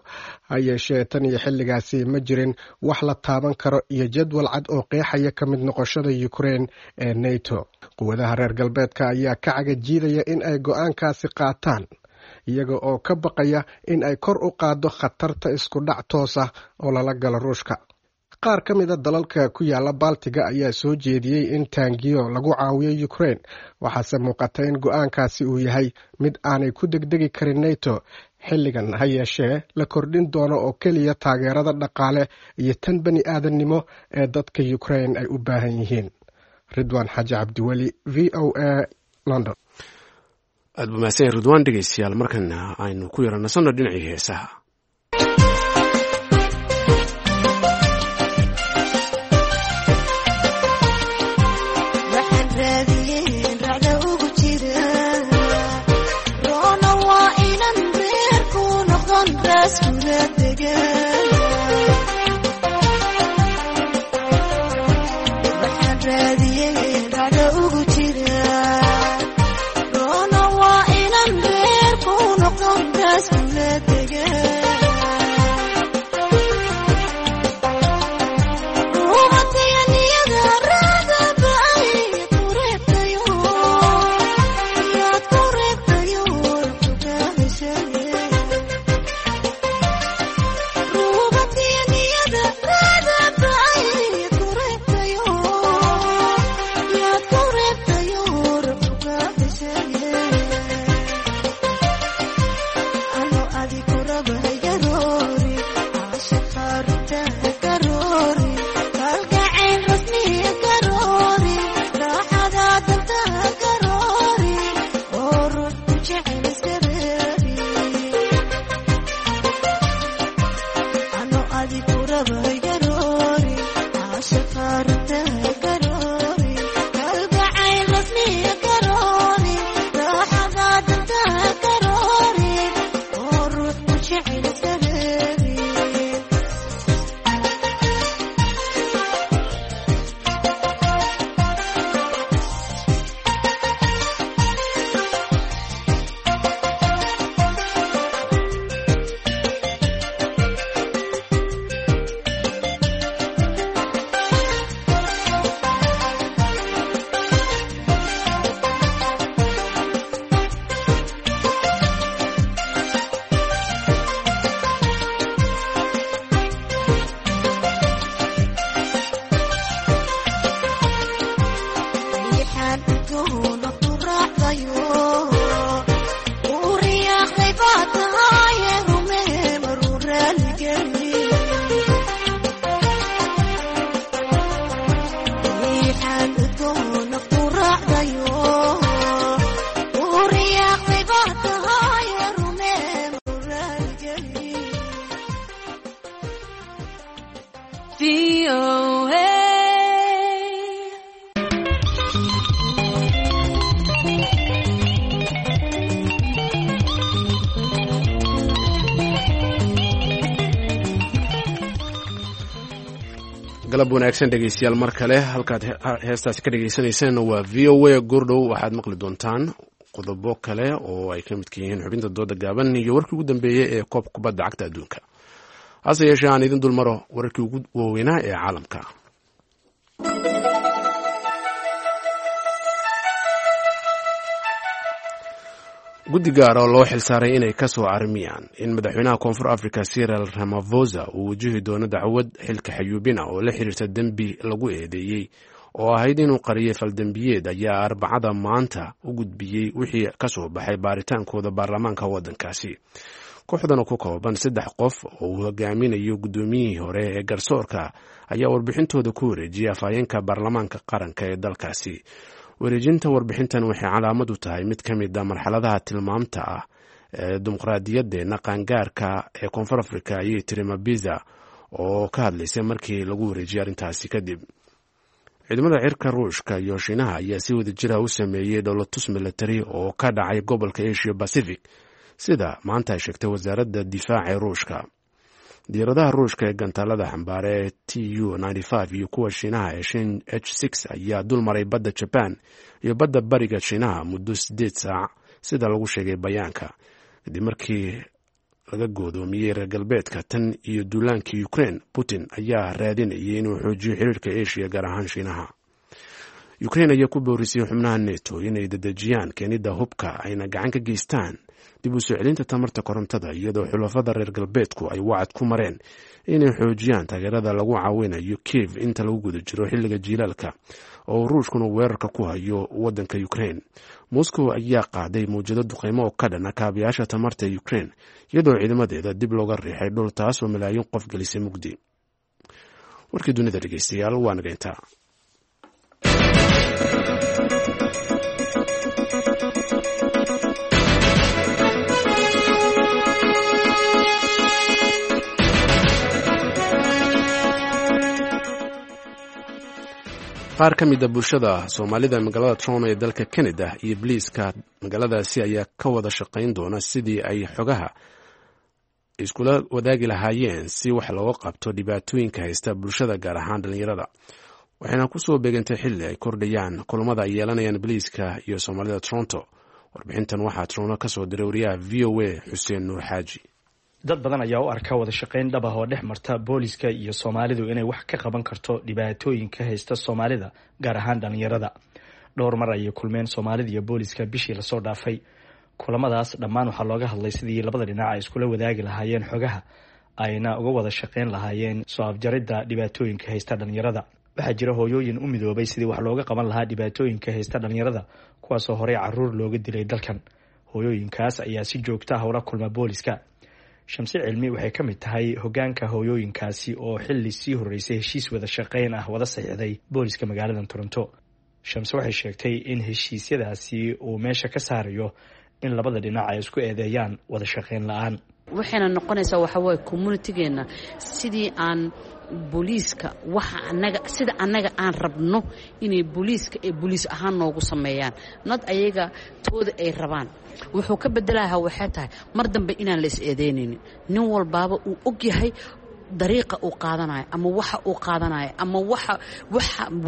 Ha yeeshee, tan iyo xilligaasi ma jirin wax la taaban karo iyo jadwal cad oo qeexaya ka mid noqoshada Ukraine ee NATO. Quwadaha reer galbeedka ayaa ka cagajiidaya in ay go-aankaasi qaataan, iyaga oo ka baqaya in ay kor u qaaddo khatarta isku dhac toos ah oo lala galo Ruushka. Qaar ka mida dalalka ku yaala Baltiga ayaa soo jeediyey in taangiyo lagu caawiyo Ukraine, waxaase muuqata in go-aankaasi uu yahay mid aanay ku degdegi karin NATO xilligan. Ha yeeshee, la kordhin doono oo keliya taageerada dhaqaale iyo tan bani aadannimo ee dadka Ukraine ay u baahan yihiin. Ridwaan Xaaji Cabdiweli, VOA, London. Aad buu mahadsan yahay, Ridwaan. Dhegeystayaal, markana aynu ku yara nasanno dhinacii heesaha. Waxaan raadiyeen racda ugu jira roona waa inan reerku noqdon raaskula degan. Waxaan raadiyeen racda ugu jira roona waa inan reerku noqdon raaskula degan. VOA. Galab wanaagsan dhegeystayaal, mar kale halkaad heestaasi ka dhegeysanayseen waa VOA. Goordhow waxaad maqli doontaan qodobo kale oo ay ka midka yihiin xubinta dooda gaaban iyo warkii ugu dambeeyey ee koob kubadda cagta adduunka. Hase yeeshee aan idin dulmaro wararkii ugu waaweynaa ee caalamka. Guddi gaar oo loo xilsaaray inay ka soo armiyaan in madaxweynaha Koonfur Africa Cyril Ramaphosa uu wajihi doono dacwad xilka xayuubina oo la xiriirta dembi lagu eedeeyey oo ahayd inuu qariyay faldembiyeed ayaa Arbacada maanta u gudbiyey wixii ka soo baxay baaritaankooda baarlamaanka waddankaasi. Kooxdan oo ku kooban saddex qof oo uu hogaaminayo guddoomiyihii hore ee garsoorka ayaa warbixintooda ku wareejiyay afhayeenka baarlamaanka qaranka ee dalkaasi. Wareejinta warbixintan waxay calaamad u tahay mid ka mid a marxaladaha tilmaamta ah ee dimuqraadiyadeena qaangaarka ee Koonfur Africa, ayay tiri Mabiza oo ka hadlaysay markii lagu wareejiyay arrintaasi kadib. Ciidamada cirka Ruushka iyo Shiinaha ayaa si wada jira u sameeyey dhowlatus milatari oo ka dhacay gobolka Asia Pacific, sida maanta ay sheegtay wasaaradda difaaca ee Ruushka. Diyaaradaha Ruushka ee gantaalada xambaare ee Tu iyo kuwa Shiinaha ee Shin H ayaa dulmaray badda Jaban iyo badda bariga Shiinaha muddo 8 saac, sida lagu sheegay bayaanka, kadib markii laga goodoomiyey reer galbeedka tan iyo duulaankii Ukraine. Putin ayaa raadinayay inuu xoojiyo xiriirka Asia, gaar ahaan Shiinaha. Ukraine ayaa ku boorisay xubnaha NATO inay dedejiyaan keenida hubka ayna gacan ka geystaan dib u soo celinta tamarta korontada, iyadoo xulafada reer galbeedku ay wacad ku mareen inay xoojiyaan taageerada lagu caawinayo Kiev inta lagu guda jiro xilliga jiilaalka oo Ruushkuna weerarka ku hayo wadanka Ukraine. Moscow ayaa qaaday mawjado duqeymo oo ka dhana kaabayaasha tamarta ee Ukraine, iyadoo ciidamadeeda dib looga riixay dhul, taasoo malaayiin qof gelisay mugdi. Warkii dunida, dhegeystayaal, waa naga intaa. Qaar ka mida bulshada Soomaalida magaalada Toronto ee dalka Canada iyo boliiska magaaladaasi ayaa ka wada shaqayn doona sidii ay xogaha iskula wadaagi lahaayeen si wax looga qabto dhibaatooyinka haysta bulshada, gaar ahaan dhalinyarada. Waxayna kusoo beegantay xilli ay kordhayaan kulamada ay yeelanayaan boliiska iyo Soomaalida Toronto. Warbixintan waxaa Toronto kasoo diray wariyaha VOA Xuseen Nuur Xaaji. Dad badan ayaa u arka wada shaqayn dhab ah oo dhex marta booliska iyo Soomaalidu inay wax ka qaban karto dhibaatooyinka haysta Soomaalida, gaar ahaan dhalinyarada. Dhowr mar ayay kulmeen Soomaalida iyo booliska bishii lasoo dhaafay. Kulamadaas dhammaan waxaa looga hadlay sidii labada dhinac ay iskula wadaagi lahaayeen xogaha, ayna uga wada shaqayn lahaayeen soo afjaridda dhibaatooyinka haysta dhalinyarada. Waxaa jira hooyooyin u midoobay sidii wax looga qaban lahaa dhibaatooyinka haysta dhalinyarada, kuwaasoo horey caruur looga dilay dalkan. Hooyooyinkaas ayaa si joogta ah ula kulma booliska. Shamse Cilmi waxay ka mid tahay hogaanka hooyooyinkaasi oo xilli sii horreysay heshiis wada shaqayn ah wada saxiixday booliska magaalada Toronto. Shamse waxay sheegtay in heshiisyadaasi uu meesha ka saarayo in labada dhinac ay isku eedeeyaan wada shaqayn la-aan. Waxayna noqonaysaa waxaa waaye communitygeenna sidii aan booliiska waxa anaga sida annaga aan rabno inay booliiska ay booliis ahaan noogu sameeyaan, nad ayaga tooda ay rabaan. Wuxuu ka bedelahaa waxay tahay mar dambe inaan la is eedeynaynin, nin walbaaba uu og yahay dariiqa uu qaadanayo ama waxa uu qaadanayo ama waxa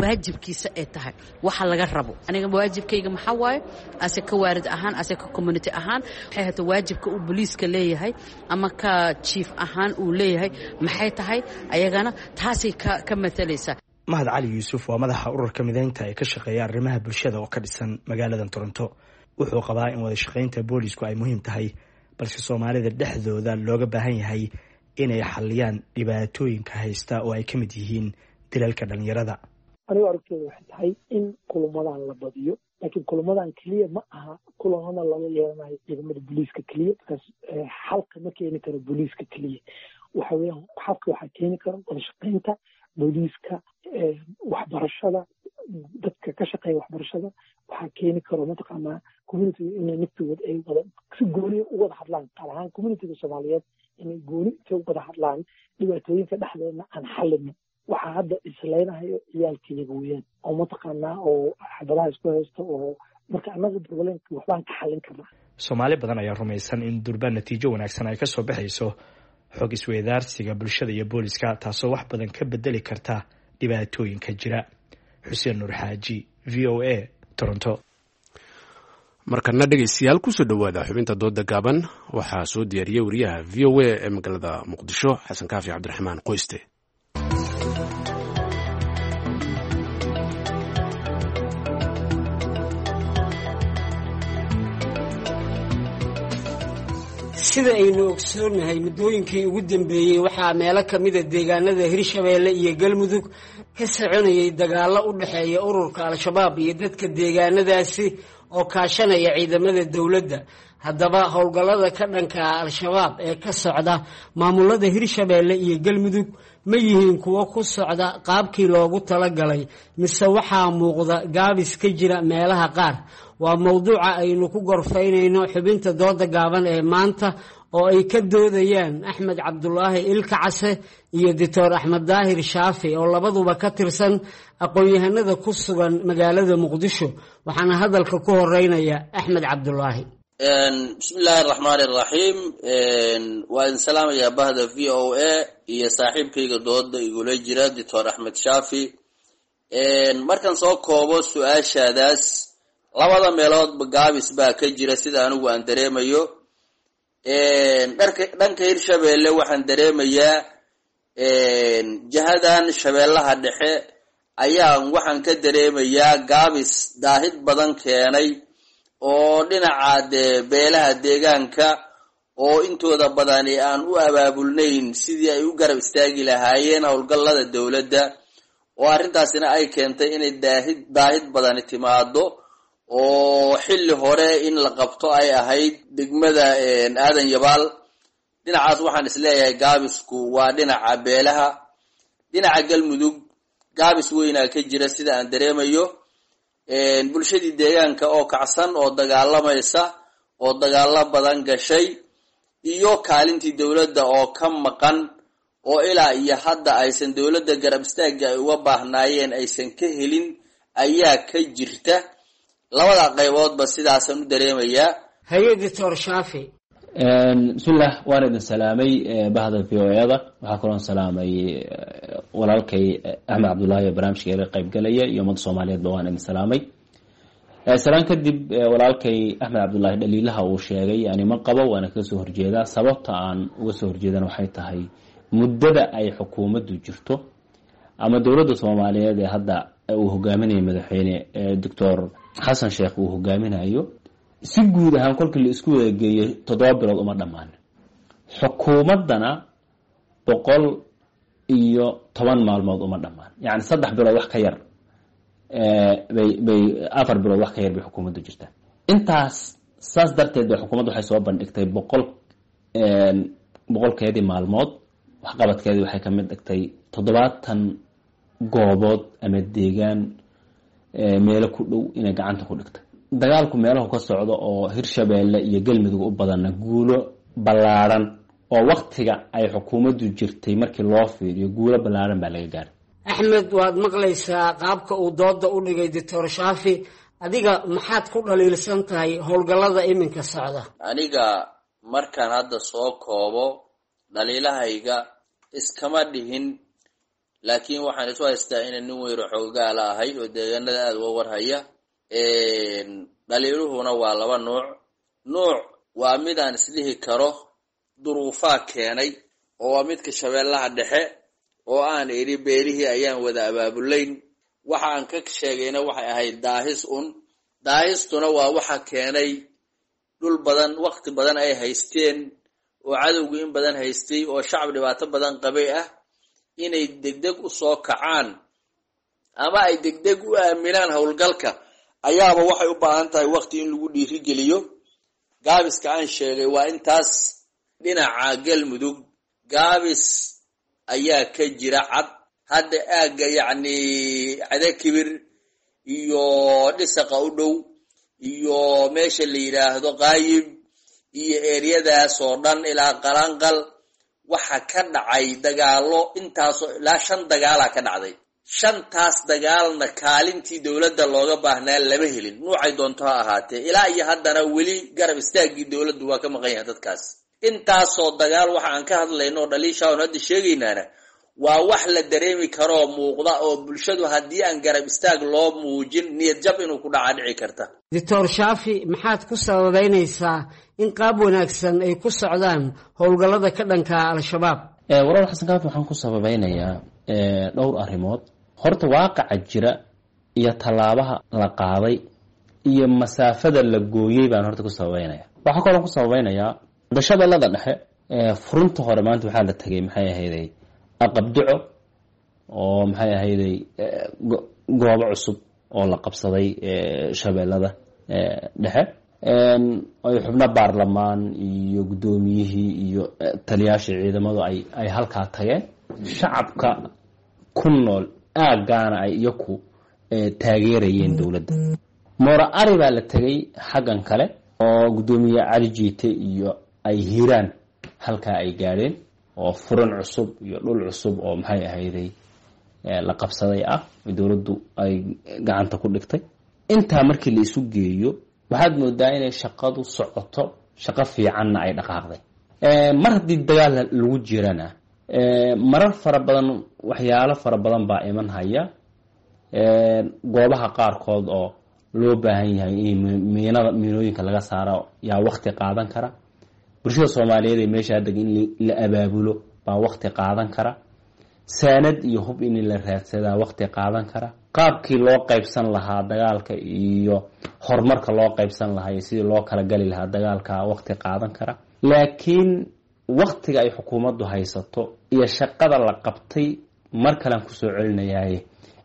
waajibkiisa ay tahay, waxa laga rabo. Aniga waajibkayga maxaa waaye ase ka waarid ahaan, ase ka community ahaan, waxay hata waajibka uu booliiska leeyahay ama ka chief ahaan uu leeyahay maxay tahay, ayagana taasay ka matalaysaa. Mahad Cali Yuusuf waa madaxa ururka Mideynta ee ka shaqeeya arrimaha bulshada oo ka dhisan magaalada Toronto. Wuxuu qabaa in wada shaqaynta boolisku ay muhiim tahay, balse Soomaalida dhexdooda looga baahan yahay inay xaliyaan dhibaatooyinka haysta oo ay ka mid yihiin dilalka dhalinyarada. Anigu aragtooda waxay tahay in kulamadan la badiyo, laakiin kulamadan keliya ma aha kulamada lala yeelanayo ciidamada booliiska keliya, markaas xalka ma keeni karo booliiska keliya. Waxa weeyaan xalka waxaa keeni kara wada shaqaynta booliiska, waxbarashada, dadka ka shaqeeya waxbarashada. Waxaa keeni karo mataqaanaa communityga inay naftigood ay wada si gooniya u wada hadlaan, qaar ahaan communityga Soomaaliyeed inay gooni intay u wada hadlaan dhibaatooyinka dhexdeedna aan xallino. Waxaa hadda islaynahayo ciyaalkayaga weeyaan, oo mataqaanaa oo xabadaha isku haysto, oo marka annaga problemka waxbaan ka xallin karnaa. Soomaali badan ayaa rumaysan in durba natiijo wanaagsan ay kasoo baxayso xog isweydaarsiga bulshada iyo booliska, taasoo wax badan ka bedeli karta dhibaatooyinka jira. Xuseen Nuur Xaaji, V O A, Toronto. Markana dhegeystayaal, kusoo dhowaada xubinta dooda gaaban. Waxaa soo diyaariyey wariyaha V O A ee magaalada Muqdisho, Xasan Kaafi Cabdiraxmaan Qoyste. Sida aynu ogsoonnahay, muddooyinkii ugu dambeeyey waxaa meelo ka mida deegaanada Hirshabeelle iyo Galmudug ka soconayay dagaallo u dhexeeya ururka Al-Shabaab iyo dadka deegaanadaasi oo kaashanaya ciidamada dowladda. Haddaba, howlgallada ka dhanka ah Al-Shabaab ee ka socda maamulada Hirshabeelle iyo Galmudug ma yihiin kuwo ku socda qaabkii loogu talagalay, mise waxaa muuqda gaabis ka jira meelaha qaar? Waa mowduuca aynu ku gorfaynayno xubinta dooda gaaban ee maanta, oo ay ka doodayaan Axmed Cabdulaahi Ilka Case iyo Doctor Axmed Daahir Shaafi, oo labaduba ka tirsan aqoon-yahanada ku sugan magaalada Muqdisho. Waxaana hadalka ku horeynaya Axmed Cabdulaahi. Bismi illaahi araxmaani araxiim. Waa idin salaamayaa bahda V O A iyo saaxiibkayga dooda igula jira, Doctor Axmed Shaafi. Markaan soo koobo su-aashaadaas, labada meeloodba gaabis baa ka jira sida anigu aan dareemayo. Dhanka Hirshabeelle waxaan dareemayaa jihadan Shabeellaha Dhexe ayaan waxaan ka dareemayaa gaabis daahid badan keenay, oo dhinaca dee beelaha deegaanka oo intooda badani aan u abaabulnayn sidii ay u garab istaagi lahaayeen howlgallada dowladda, oo arrintaasina ay keentay inay daahid badani timaado, oo xilli hore in la qabto ay ahayd degmada Aadan Yabaal. Dhinacaas waxaan isleeyahay gaabisku waa dhinaca beelaha. Dhinaca Galmudug gaabis weynaa ka jira sida aan dareemayo. Bulshadii deegaanka oo kacsan oo dagaalamaysa oo dagaalo badan gashay, iyo kaalintii dowladda oo ka maqan, oo ilaa iyo hadda aysan dowladda garab istaagga ay uga baahnaayeen aysan ka helin ayaa ka jirta. Labada qayboodba sidaasaan u dareemayaa. Haye, Doctor Shaafi. Bismillah, waan idin salaamay bahda V O A-da. Waxaa kaloon salaamay walaalkay Axmed Cabdullaahi oo barnaamijka iga qaybgalaya, iyo ummadda Soomaaliyeedba waan idin salaamay. Salaan kadib, walaalkay Axmed Cabdullaahi dhaliilaha uu sheegay yani ma qabo, waana kaga soo horjeedaa. Sababta aan uga soo horjeedana waxay tahay muddada ay xukuumaddu jirto ama dowladda Soomaaliyeed ee hadda uu hogaaminayo madaxweyne Doctor Xasan Sheekh uu hogaaminayo, si guud ahaan kolkii la isku wadageeyo 7 bilood uma dhammaan. Xukuumaddana 110 maalmood uma dhammaan, yacni 3 bilood wax ka yar bay 4 bilood wax ka yar bay xukuumaddu jirtaa intaas. Saas darteed bay xukuumaddu waxay soo bandhigtay 100-keedii maalmood waxqabadkeedii. Waxay ka mid dhigtay 70 goobood ama deegaan meelo ku dhow inay gacanta ku dhigtay. Dagaalku meelahu ka socdo oo Hirshabeelle iyo Galmudug u badanna guulo ballaadhan oo waktiga ay xukuumaddu jirtay markii loo fiiriyo guulo ballaadhan baa laga gaaray. Axmed, waad maqlaysaa qaabka uu dooda u dhigay Doctor Shaafi. Adiga maxaad ku dhaliilsan tahay howlgallada iminka socda? Aniga markaan hadda soo koobo dhaliilahayga iskama dhihin, laakiin waxaan isu haystaa inaan nin weyro xoogaala ahay oo deegaanada aada uga warhaya. Dhaliiluhuna waa laba nuuc. Nuuc waa mid aan isdhihi karo duruufaa keenay, oo waa midka Shabeellaha Dhexe oo aan idhi beelihii ayaan wada abaabulayn. Waxa aan ka sheegayna waxay ahayd daahis un. Daahistuna waa waxa keenay dhul badan waqti badan ay haysteen oo cadowgu in badan haystay oo shacab dhibaato badan qabay ah inay degdeg u soo kacaan ama ay degdeg u aaminaan howlgalka ayaaba waxay u baahan tahay waqti in lagu dhiirigeliyo. Gaabiska aan sheegay waa intaas. Dhinaca Galmudug gaabis ayaa ka jira cad. Hadda aagga yacni Cadakibir iyo Dhisaqa u dhow iyo meesha la yidhaahdo Qaayib iyo eeriyadaas oo dhan ilaa Qalaanqal Waxa ka dhacay dagaalo intaasoo ilaa 5 dagaalaa ka dhacday. 5taas dagaalna kaalintii dowladda looga baahnaa lama helin, nuucay doonto ha ahaatee. Ilaa iyo haddana weli garab istaaggii dowladdu waa ka maqan yahay dadkaas. Intaasoo dagaal waxa aan ka hadlayno oo dhaliisha oon hadda sheegaynaana waa wax la dareemi karoo muuqda, oo bulshadu haddii aan garab istaag loo muujin niyad jab inuu ku dhaca dhici karta. Doctor Shaafi, maxaad ku sababeynaysaa in qaab wanaagsan ay ku socdaan howlgallada ka dhanka Al-Shabaab? Walaal Xasan Kaafi, waxaan ku sababeynayaa dhowr arrimood. Horta waaqaca jira iyo tallaabaha la qaaday iyo masaafada la gooyey baan horta ku sababeynaya. Waxaa kaloo ku sababeynayaa dashabeellada dhexe furunta hore maanta waxaa la tegay maxay ahayday Aqabduco, oo maxay ahayday goobo cusub oo la qabsaday shabeellada dhexe, ay xubno baarlamaan iyo guddoomiyihii iyo taliyaashii ciidamadu ay halkaa tageen. Shacabka ku nool aaggaana ay iyaku taageerayeen dowladda. Moora Ari baa la tegay xaggan kale, oo guddoomiye Cali Jiite iyo ay Hiiraan halkaa ay gaadheen, oo furan cusub iyo dhul cusub oo maxay ahayday la qabsaday ah, dowladdu ay gacanta ku dhigtay. Intaa markii la isu geeyo waxaad moodaa inay shaqadu socoto, shaqo fiicanna ay dhaqaaqday. Mar haddii dagaal lagu jirana marar fara badan waxyaalo fara badan baa iman haya, goobaha qaarkood oo loo baahan yahay in miinada miinooyinka laga saaro yaa wakti qaadan kara. Bulshada Soomaaliyeed ee meesha deg in la abaabulo baa wakti qaadan kara. Saanad iyo hub in la raadsadaa wakti qaadan kara. Qaabkii loo qaybsan lahaa dagaalka iyo horumarka loo qaybsan lahaa iyo sidii loo kala gali lahaa dagaalka wakti qaadan kara. Laakiin waktiga ay xukuumaddu haysato iyo shaqada la qabtay mar kalean kusoo celinayaaye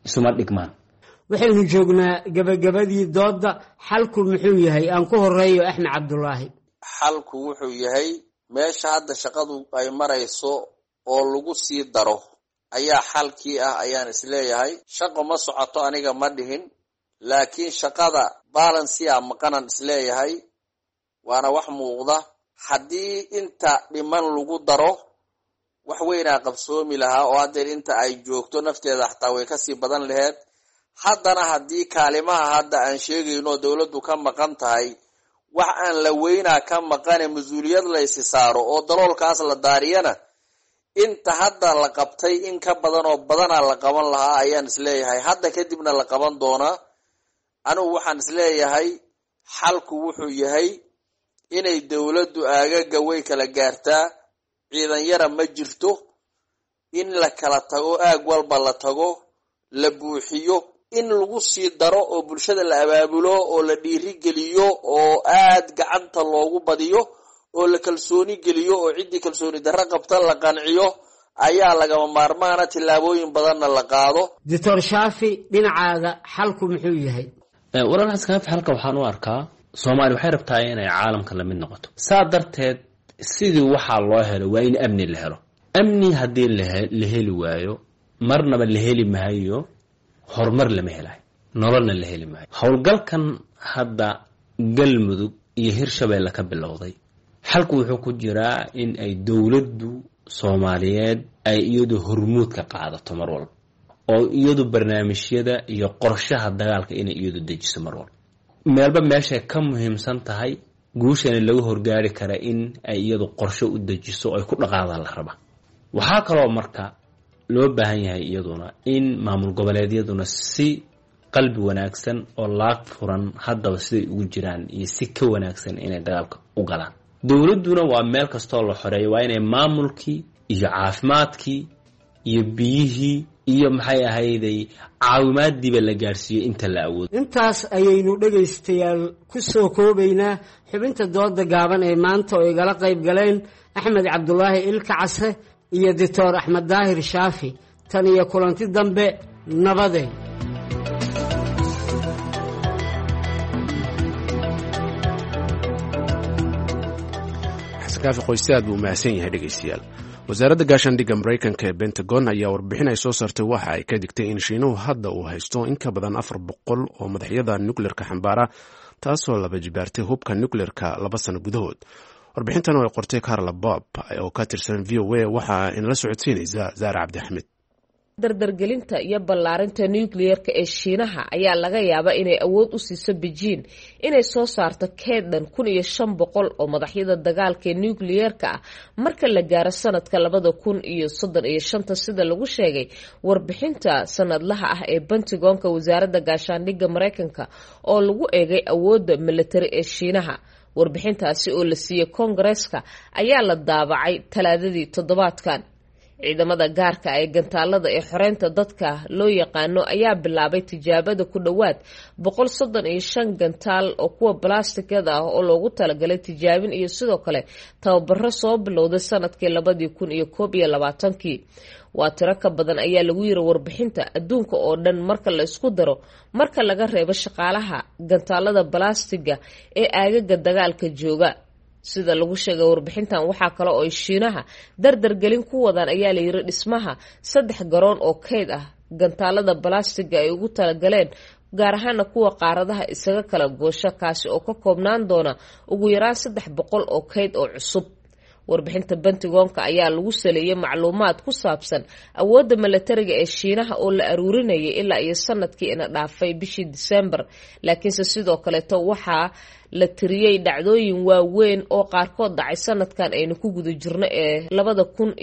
isuma dhigmaan. Waxaynu joognaa gabagabadii doodda. Xalku muxuu yahay? Aan ku horeeyo Axmed Cabdulaahi. Xalku wuxuu yahay meesha hadda shaqadu ay marayso oo lagu sii daro ayaa xalkii ah, ayaan isleeyahay. Shaqo ma socoto aniga ma dhihin, laakiin shaqada balansia maqanan isleeyahay, waana wax muuqda. Haddii inta dhiman lagu daro wax weynaa qabsoomi lahaa, oo haddeer inta ay joogto nafteeda xataa way kasii badan laheed. Haddana haddii kaalimaha hadda aan sheegayno dowladdu ka maqan tahay, wax aan la weynaa ka maqane mas-uuliyad laysi saaro oo daloolkaas la daariyana, inta hadda la qabtay in ka badan oo badanaa la qaban lahaa ayaan isleeyahay. Hadda kadibna la qaban doonaa. Anigu waxaan isleeyahay xalku wuxuu yahay inay dowladdu aagaga way kala gaartaa, ciidan yara ma jirto, in la kala tago, aag walba la tago, la buuxiyo, in lagu sii daro oo bulshada la abaabulo oo la dhiirigeliyo oo aad gacanta loogu badiyo oo la kalsooni geliyo oo ciddii kalsooni darro qabta la qanciyo ayaa lagama maarmaana, tillaabooyin badanna la qaado. Doctor Shaafi, dhinacaaga xalku muxuu yahay? Walaal Xasan Kaafi, halka waxaan u arkaa Soomaaliya waxay rabtaa inay caalamka la mid noqoto. Saa darteed sidii waxaa loo helo waa in amni la helo. Amni haddii la heli waayo, marnaba la heli maayo horumar, lama helayo nololna la heli maayo. Howlgalkan hadda Galmudug iyo Hirshabeelle ka bilowday, xalku wuxuu ku jiraa in ay dowladdu Soomaaliyeed ay iyadu hormuud ka qaadato mar walba, oo iyadu barnaamijyada iyo qorshaha dagaalka inay iyadu dejiso mar walba. Meelba meeshay ka muhiimsan tahay guushana lagu horgaari kara in ay iyadu qorsho u dejiso oo ay ku dhaqaadaan la raba. Waxaa kaloo marka loo baahan yahay iyaduna in maamul goboleedyaduna si qalbi wanaagsan oo laag furan haddaba siday ugu jiraan iyo si ka wanaagsan inay dagaalka u galaan. Dowladduna waa meel kastoo la xoreeyo waa inay maamulkii iyo caafimaadkii iyo biyihii iyo maxay ahayday caawimaadiiba la gaadhsiiyo inta la awoodo. Intaas ayaynu dhegaystayaal ku soo koobaynaa xubinta dooda gaaban ee maanta oo igala qayb galeen Axmed Cabdulaahi Ilka Case iyo Doctor Axmed Daahir Shaafi. Tan iyo kulanti dambe, nabadeen. Xasan Kaafi Qoyse aad buu mahadsan yahay. Dhegaystayaal, wasaaradda gaashaandhigga Maraykanka ee Pentagon ayaa warbixin ay soo saartay waxa ay ka digtay in Shiinuhu hadda uu haysto in ka badan 400 oo madaxyada nukleerka xambaara, taasoo laba jibaartay hubka nukleerka 2 sano gudahood. Warbixintan oo ay qortay Carla Bob oo ka tirsan v o a waxaa inala socodsiinaysa Zaara Cabdixamed. Dardargelinta iyo ballaarinta nukliyerka ee Shiinaha ayaa laga yaabaa inay awood u siiso Beijing inay soo saarto keed dhan 1500 oo madaxyada dagaalka ee nukliyerka ah marka la gaaro sanadka 2035, sida lagu sheegay warbixinta sanadlaha ah ee Pentagonka, wasaaradda gaashaandhigga Mareykanka, oo lagu eegay awoodda militari ee Shiinaha. Warbixintaasi oo la siiyey Koongareeska ayaa la daabacay Talaadadii toddobaadkan. Ciidamada gaarka ee gantaalada ee xoreynta dadka loo yaqaano ayaa bilaabay tijaabada ku dhowaad 135 gantaal oo kuwa balastikada ah oo loogu talagalay tijaabin iyo sidoo kale tababaro soo bilowday sanadkii 2021-kii. Waa tiro ka badan, ayaa lagu yiri warbixinta, adduunka oo dhan marka la isku daro, marka laga reebo shaqaalaha gantaalada balastiga ee aagaga dagaalka jooga, sida lagu sheegay warbixintan. Waxaa kale oo ay Shiinaha dardargelin ku wadaan, ayaa layiri, dhismaha saddex garoon oo kayd ah gantaalada balastiga ay ugu talagaleen, gaar ahaana kuwa qaaradaha isaga kala goosha, kaasi oo ka koobnaan doona ugu yaraan 300 oo kayd oo cusub. Warbixinta Pentagonka ayaa lagu saleeyay macluumaad ku saabsan awoodda milatariga ee Shiinaha oo la aruurinayay ilaa iyo sanadkii ina dhaafay bishii Disembar, laakiinse sidoo kaleeto waxaa la tiriyey dhacdooyin waaweyn oo qaarkood dhacay sanadkan aynu ku guda jirno ee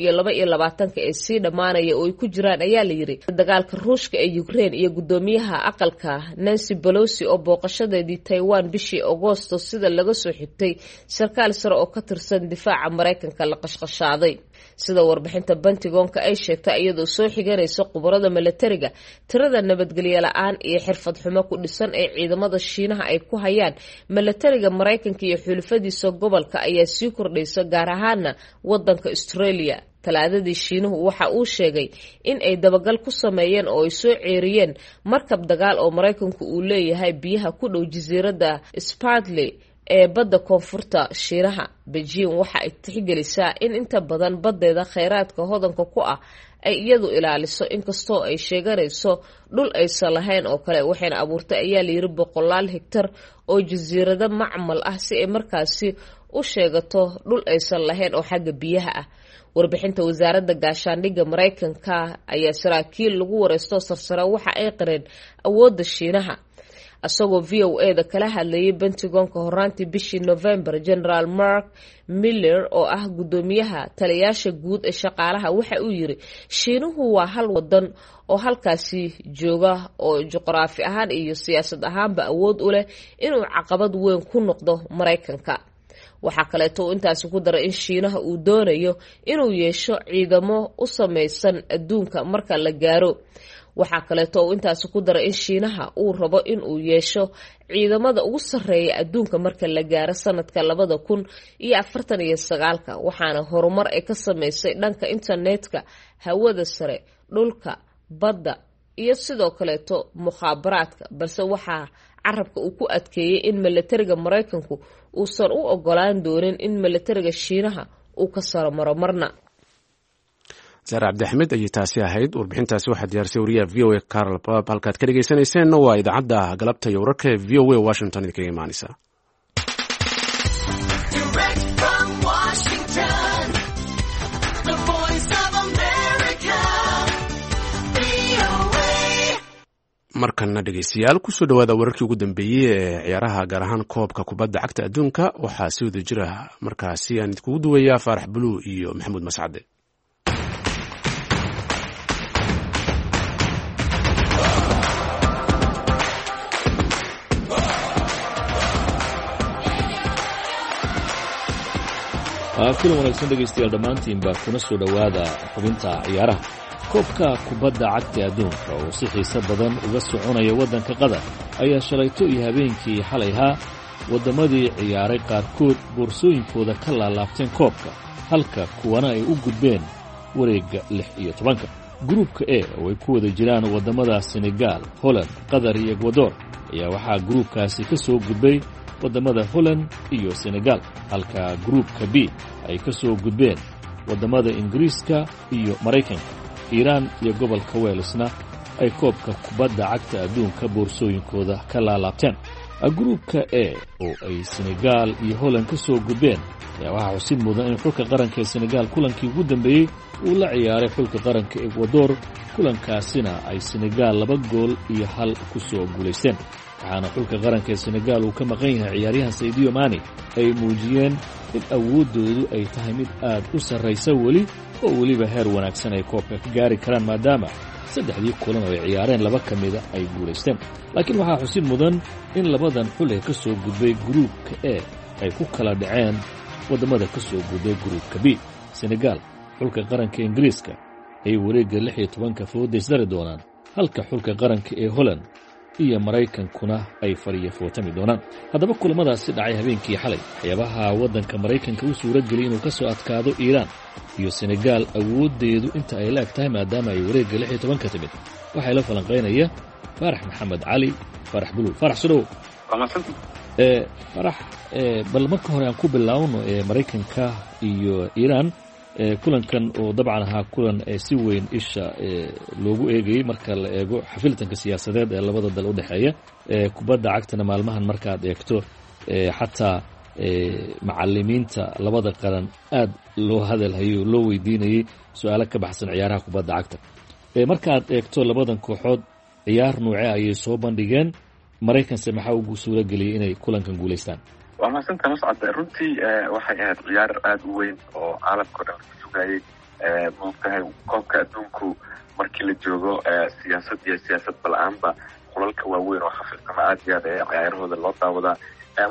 2022-ka ee sii dhammaanaya, oo ay ku jiraan, ayaa la yiri, dagaalka Ruushka ee Ukraine iyo guddoomiyaha aqalka Nancy Pelosi oo booqashadeedii Taiwan bishii Agoosto, sida laga soo xigtay sarkaal sare oo ka tirsan difaaca Mareykanka, la qashqashaaday. Sida warbixinta Pentagonka ay sheegtay iyadoo soo xiganaysa khubarada milatariga, tirada nabadgelyo la-aan iyo xirfad xumo ku dhisan ee ciidamada Shiinaha ay ku hayaan milatariga Mareykanka iyo xulufadiisa gobolka ayaa sii kordhaysa, gaar ahaana wadanka Australia. Talaadadii Shiinuhu waxa uu sheegay in ay dabagal ku sameeyeen oo ay soo ceeriyeen markab dagaal oo Mareykanku uu leeyahay biyaha ku dhow jasiiradda Spratly ee badda koonfurta Shiinaha. Beijing waxa ay tixgelisaa in inta badan baddeeda kheyraadka hodanka ku ah ay iyadu ilaaliso, inkastoo ay sheeganayso dhul aysan lahayn oo kale, waxayna abuurtay, ayaa layiri, boqolaal higtar oo jasiirado macmal ah si ay markaasi u sheegato dhul aysan lahayn oo xagga biyaha ah. Warbixinta wasaaradda gaashaandhigga Mareykanka ayaa saraakiil lagu wareysto sarsare waxa ay qareen awoodda Shiinaha. Isagoo v o a da kala hadlayay Pentagonka horaantii bishii November, Generaal Mark Miller oo ah guddoomiyaha taliyaasha guud ee shaqaalaha waxa uu yiri: "Shiinuhu waa hal wadan oo halkaasi jooga oo juqraafi ahaan iyo siyaasad ahaanba awood u leh inuu caqabad weyn ku noqdo Mareykanka." Waxaa kaleeto uu intaasi ku daray in Shiinaha uu doonayo inuu yeesho ciidamo u sameysan adduunka marka la gaaro. Waxaa kaleeto uu intaasi ku daray in Shiinaha uu rabo inuu yeesho ciidamada ugu sarreeya adduunka marka la gaaro sanadka 2049-ka, waxaana horumar ay ka sameysay dhanka internetka, hawada sare, dhulka, badda iyo sidoo kaleeto mukhaabaraadka, balse waxaa carabka uu ku adkeeyey in milatariga Mareykanku uusan u ogolaan doonin in milatariga Shiinaha uu ka saromaro marna. Saare Cabdixamed ayay taasi ahayd. Warbixintaasi waxaa diyaarisay wariyaha v o a Carl Bob. Halkaad ka dhegeysaneyseenna waa idaacadda galabta iyo wararka ee v o a Washington idinkaga imaaneysa. Markana dhegeystayaal, kusoo dhawaada wararkii ugu dambeeyey ee ciyaaraha, gaar ahaan koobka kubadda cagta adduunka. Waxaa si wada jira markaasi aan idinkugu duwayaa Faarax Buluu iyo Maxamuud Mascade. Kulan wanaagsan dhegaystayaal dhammaantiinba, kuna soo dhowaada xubinta ciyaaraha. Koobka kubadda cagta adduunka oo si xiise badan uga soconaya waddanka Qatar ayaa shalayto iyo habeenkii xalayhaa wadammadii ciyaaray qaarkood boorsooyinkooda ka laalaabteen koobka, halka kuwana ay u gudbeen wareegga 16-ka. Gruubka E oo ay ku wada jiraan waddamada Senegaal, Holland, Qatar iyo Ekwador ayaa waxaa gruubkaasi ka soo gudbay waddamada Holland iyo Senegal, halka gruubka B ay ka soo gudbeen waddamada Ingiriiska iyo Maraykanka. Iiraan iyo gobolka Weelsna ay koobka kubadda cagta adduunka boorsooyinkooda ka laalaabteen. Gruubka E oo ay Senegaal iyo Holland ka soo gudbeen ayaa waxaa xusid mudan in xulka qaranka ee Senegaal kulankii ugu dambeeyey uu la ciyaaray xulka qaranka Ekwador, kulankaasina ay Senegaal 2-1 ku soo guulaysteen. Waxaana xulka qaranka ee Senegaal uu ka maqan yahay ciyaaryahan Saidiyo Mani ay muujiyeen in awooddoodu ay tahay mid aad u sarraysa weli, oo weliba heer wanaagsan ay koobka ka gaari karaan, maadaama saddexdii kulan oo ay ciyaareen laba ka mida ay guulaysteen. Laakiin waxaa xusid mudan in labadan xul ee ka soo gudbay gruubka E ay ku kala dhaceen waddamada ka soo gudbay gruubka B. Senegaal xulka qaranka Ingiriiska ay wareegga 16-ka foodaysdari doonaan, halka xulka qaranka ee Holland iyo Maraykankuna ay fariya footami doonaan. Haddaba kulamadaasi dhacay habeenkii xalay, waxyaabaha waddanka Maraykanka u suura geliyay inuu ka soo adkaado Iiraan iyo Senegaal awooddeedu inta ay la eg tahay maadaama ay wareegga 16-ka timid, waxaa ila falanqaynaya Faarax Maxamed Cali, Faarax Buluul. Faarax, sudhow. Faarax, bal marka hore aan ku bilaawno ee Maraykanka iyo Iiraan, kulankan oo dabcan ahaa kulan si weyn isha loogu eegayey marka la eego xafiltanka siyaasadeed ee labada dal u dhexeeya. Kubadda cagtana maalmahan markaad eegto, xataa macalimiinta labada qaran aad loo hadalhayo, loo weydiinayey su-aalo ka baxsan ciyaaraha kubadda cagta. Markaad eegto labadan kooxood, ciyaar nuuce ayay soo bandhigeen? Maraykanse maxaa ugu suura geliyay inay kulankan guulaystaan? Waa mahadsantaha, Mascad. Runtii waxay ahayd ciyaar aada u weyn oo caalamka o dhan laga sugayay. Maogtahay, koobka adduunku markii la joogo, siyaasad iyo siyaasad bala-aanba, xulalka waaweyn oo xafiltama aad iyo aad ee ciyaarahooda loo daawadaa.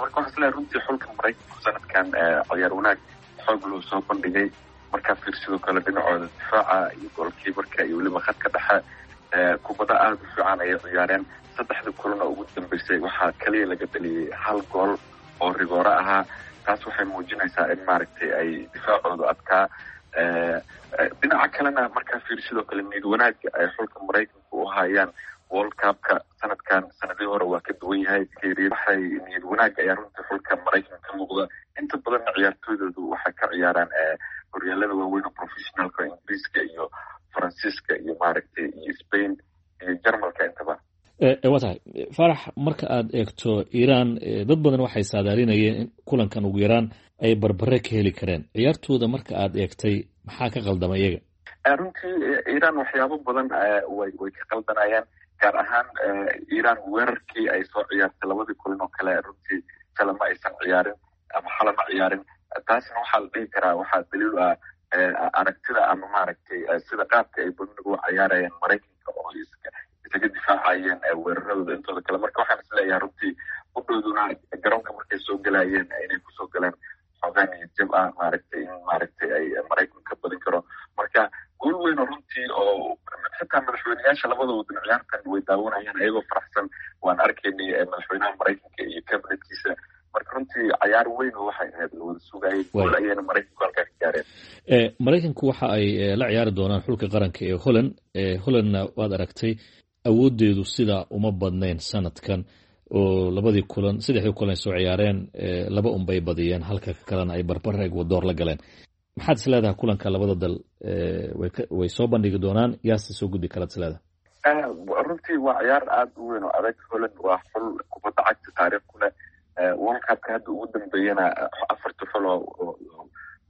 Marka waxaa isleeyahay runtii xulka Maraykanku sanadkan ciyaar wanaag xoog loo soo bandhigay. Markaa fiir sidoo kale dhinacooda difaaca iyo goolkiibarka iyo weliba khadka dhexe, kubada aada u fiican ayay ciyaareen. Saddexda kulan oo ugu dambeysay waxaa kaliya laga dhaliyey hal gool oo rigooro ahaa. Taas waxay muujinaysaa in maaragtay ay difaacoodu adkaa. Dhinaca kalena markaa fiir sidoo kale niyad wanaagga ay xulka Maraykanku u hayaan World Cupka sanadkan sanadihii hore waa ka duwan yahay. Waxay niyad wanaag ayaa runtii xulka Maraykanka ka muuqda. Inta badanna ciyaartooydoodu waxay ka ciyaaraan horyaalada waaweyn oo professionalka, Ingiriiska iyo Faransiiska iyo maaragtay iyo Spain iyo Jarmalka intaba. Waa tahay, Faarax. Marka aad eegto Iiraan, dad badan waxay saadaalinayeen in kulankan ugu yaraan ay barbare ka heli kareen. Ciyaartooda marka aad eegtay, maxaa ka qaldama iyaga? Runtii Iiraan waxyaabo badan way ka qaldanayaan, gaar ahaan Iiraan weerarkii ay soo ciyaartay labadii kulan oo kale runtii shala ma aysan ciyaarin ama xala ma ciyaarin. Taasna waxaa la dhihi karaa waxaa daliil ah aragtida ama maaragtay sida qaabka ay badnigu u ciyaarayeen Maraykanka oo isaga difaacayeen weeraradooda intooda kale. Marka waxaan isleeyahay runtii udhowduna garoonka markay soo galayeen inay kusoo galeen xoogaa niyad jab ah, maaragtay in maaragtay ay Maraykanka ka badin karo. Marka guul weyn oo runtii oo xitaa madaxweyneyaasha labada wadan ciyaartan way daawanayaan ayagoo faraxsan, waan arkaynay madaxweynaha Maraykanka iyo kabinetkiisa. Marka runtii cayaar weyn oo waxay ahayd la wada sugayay, guul ayayna Maraykanku halkaa ka gaareen. Maraykanku waxa ay la ciyaari doonaan xulka qaranka ee Holland. Hollandna waad aragtay, awooddeedu sidaa uma badnayn sanadkan, oo labadii kulan, saddexdii kulan ay soo ciyaareen, laba unbay badiyeen, halka kalena ay barbar Ekwadoor la galeen. Maxaad is leedahay kulanka labada dal way soo bandhigi doonaan? Yaase soo gudbi karaad is leedahay? Runtii waa ciyaar aada u weyn oo adag. Holland waa xul kubadda cagta taariikh ku leh. World Cupka hadda ugu dambeeyana afarta xul oo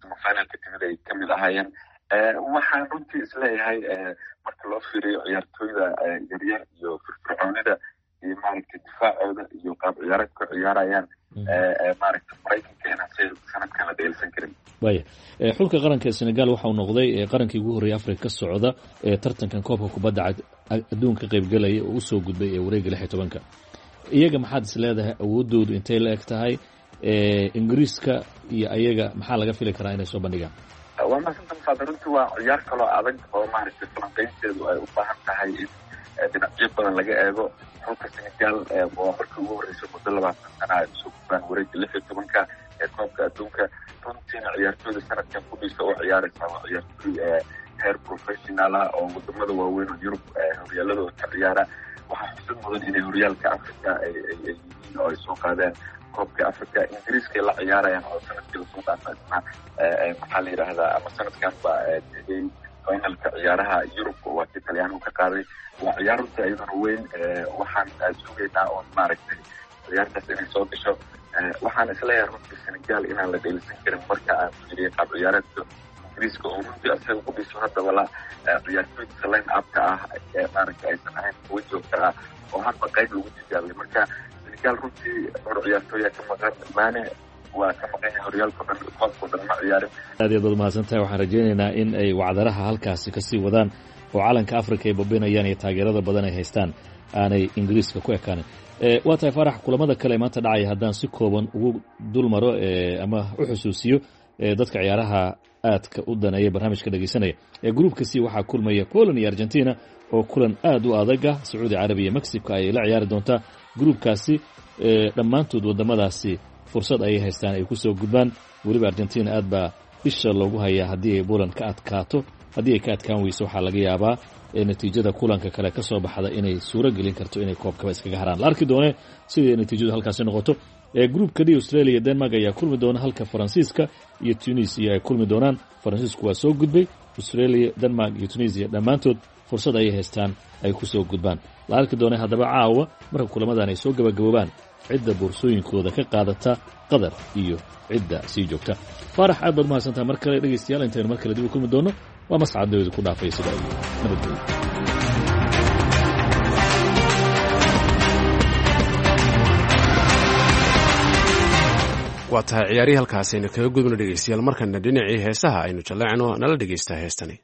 semifinalka timid ay kamid ahaayeen. Waxaan runtii isleeyahay marka loo fiiriyo ciyaartooyda yaryar iyo firfircoonida iyo maaragtay difaacooda iyo qaab ciyaareedka ciyaarayaan, maaragtay Maraykanka inaan si sanadkan la dheelsan karin. Waya, xulka qaranka ee Senegal waxa uu noqday qarankii ugu horreeyay Afrika ka socda ee tartankan koobka kubadda adduunka ka qaybgalaya oo usoo gudbay ee wareegga 16-ka. Iyaga maxaad is leedahay awooddoodu intay la eg tahay? Ingiriiska iyo ayaga maxaa laga fili karaa inay soo bandhigaan? Waa mahadsantaha, Musaad. Runtii waa ciyaar kaloo adag oo maaragtay falanqaynteedu ay u baahan tahay in dhinacyo badan laga eego. Xulka Senegal waa markii ugu horreysay muddo 20 sana ay usoo gudbaan wareegga 16-ka ee koobka adduunka. Runtiina ciyaartooyda sanadkan kudhiisa oo ciyaaraysa waa ciyaartooy heer professional ah oo wadamada waaweyn oo Yurub horyaaladooda ka ciyaara. Waxaa xusid mudan inay horyaalka Africa ay yihiin oo ay soo qaadeen koobka Africa. Ingiriiskay la ciyaarayaan oo sanadkii lasoo dhaafa isna, maxaa la yidhaahdaa, ama sanadkanba tegay finalka ciyaaraha Yurub, waa kii Talyaanigu ka qaaday. Waa ciyaar runtii iyaduna weyn. Waxaan sugaynaa oon maaragtay Ciyaartaas inay soo gasho, waxaan isleeyahay runtii Senegal inaan la dheelisan karin marka aan fiiriyay qaab ciyaareedka Ingiriiska, oo runtii asaga ku dhiso haddaba la ciyaartooydiisa line upka ah ee maaragta aysan ahayn kuwa joogta ah oo hadba qayb lagu tijaabiyay. Marka Senegal runtii dhowr ciyaartooya ka maqan. Mane waa ka maqan yahay horyaalka dhan, koobka dhan ma ciyaarin. Aad iyo aad baad mahadsantahay. Waxaan rajaynaynaa in ay wacdaraha halkaasi kasii wadaan oo calanka Africa ay babinayaan iyo taageerada badan ay haystaan aanay Ingiriiska ku ekaanin. Waa tahay Faarax, kulamada kale maanta dhacaya haddaan si kooban ugu dul maro ama u xusuusiyo dadka ciyaaraha aadka u daneeya barnaamijka dhegeysanaya, gruupka C waxaa kulmaya Poland iyo Argentina oo kulan aad u adaga. Sacuudi Carabiya Mexico ayay la ciyaari doontaa. Gruupkaasi dhammaantood wadamadaasi fursad ayay haystaan ay kusoo gudbaan. Weliba Argentina aad baa isha loogu hayaa haddii ay Poland ka adkaato. Haddii ay ka adkaan weyso, waxaa laga yaabaa natiijada kulanka kale ka soo baxda inay suuro gelin karto inay koobkaba iskaga haraan. La arki doone sidai natiijadu halkaasi noqoto. Gruupka D, Australia iyo Denmark ayaa kulmi doona, halka Faransiiska iyo Tunisia ay kulmi doonaan. Faransiisku waa soo gudbay. Australia, Denmark iyo Tunisia dhammaantood fursad ayay haystaan ay kusoo gudbaan. La arki doone haddaba caawa marka kulamadan ay soo gabagaboobaan cidda boorsooyinkooda ka qaadata Qatar iyo cidda sii joogta. Faarax, aad baad mahadsantaha mar kale. Dhegeystayaal, intaynu mar kale dib u kulmi doono, waa Mascad dawada ku dhaafay sida iyo nabadgelyo. Waa tahay, ciyaarihii halkaas aynu kaga gudubno dhegeystayaal. Markana dhinacii heesaha aynu jaleecno. Nala dhegeystaa heestani.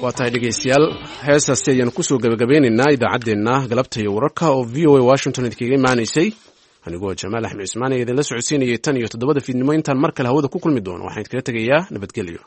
Waa tahay dhegeystayaal, heestaasi ayaanu kusoo gabagabeynaynaa idaacaddeenna galabta iyo wararka oo VOA Washington idinkaga imaanaysay. Anigoo Jamaal Axmed Cismaan ee idinla socodsiinayay tan iyo 7da fiidnimo intaan mar kale hawada ku kulmi doono, waxaan idinkaga tegayaa nabadgelyo.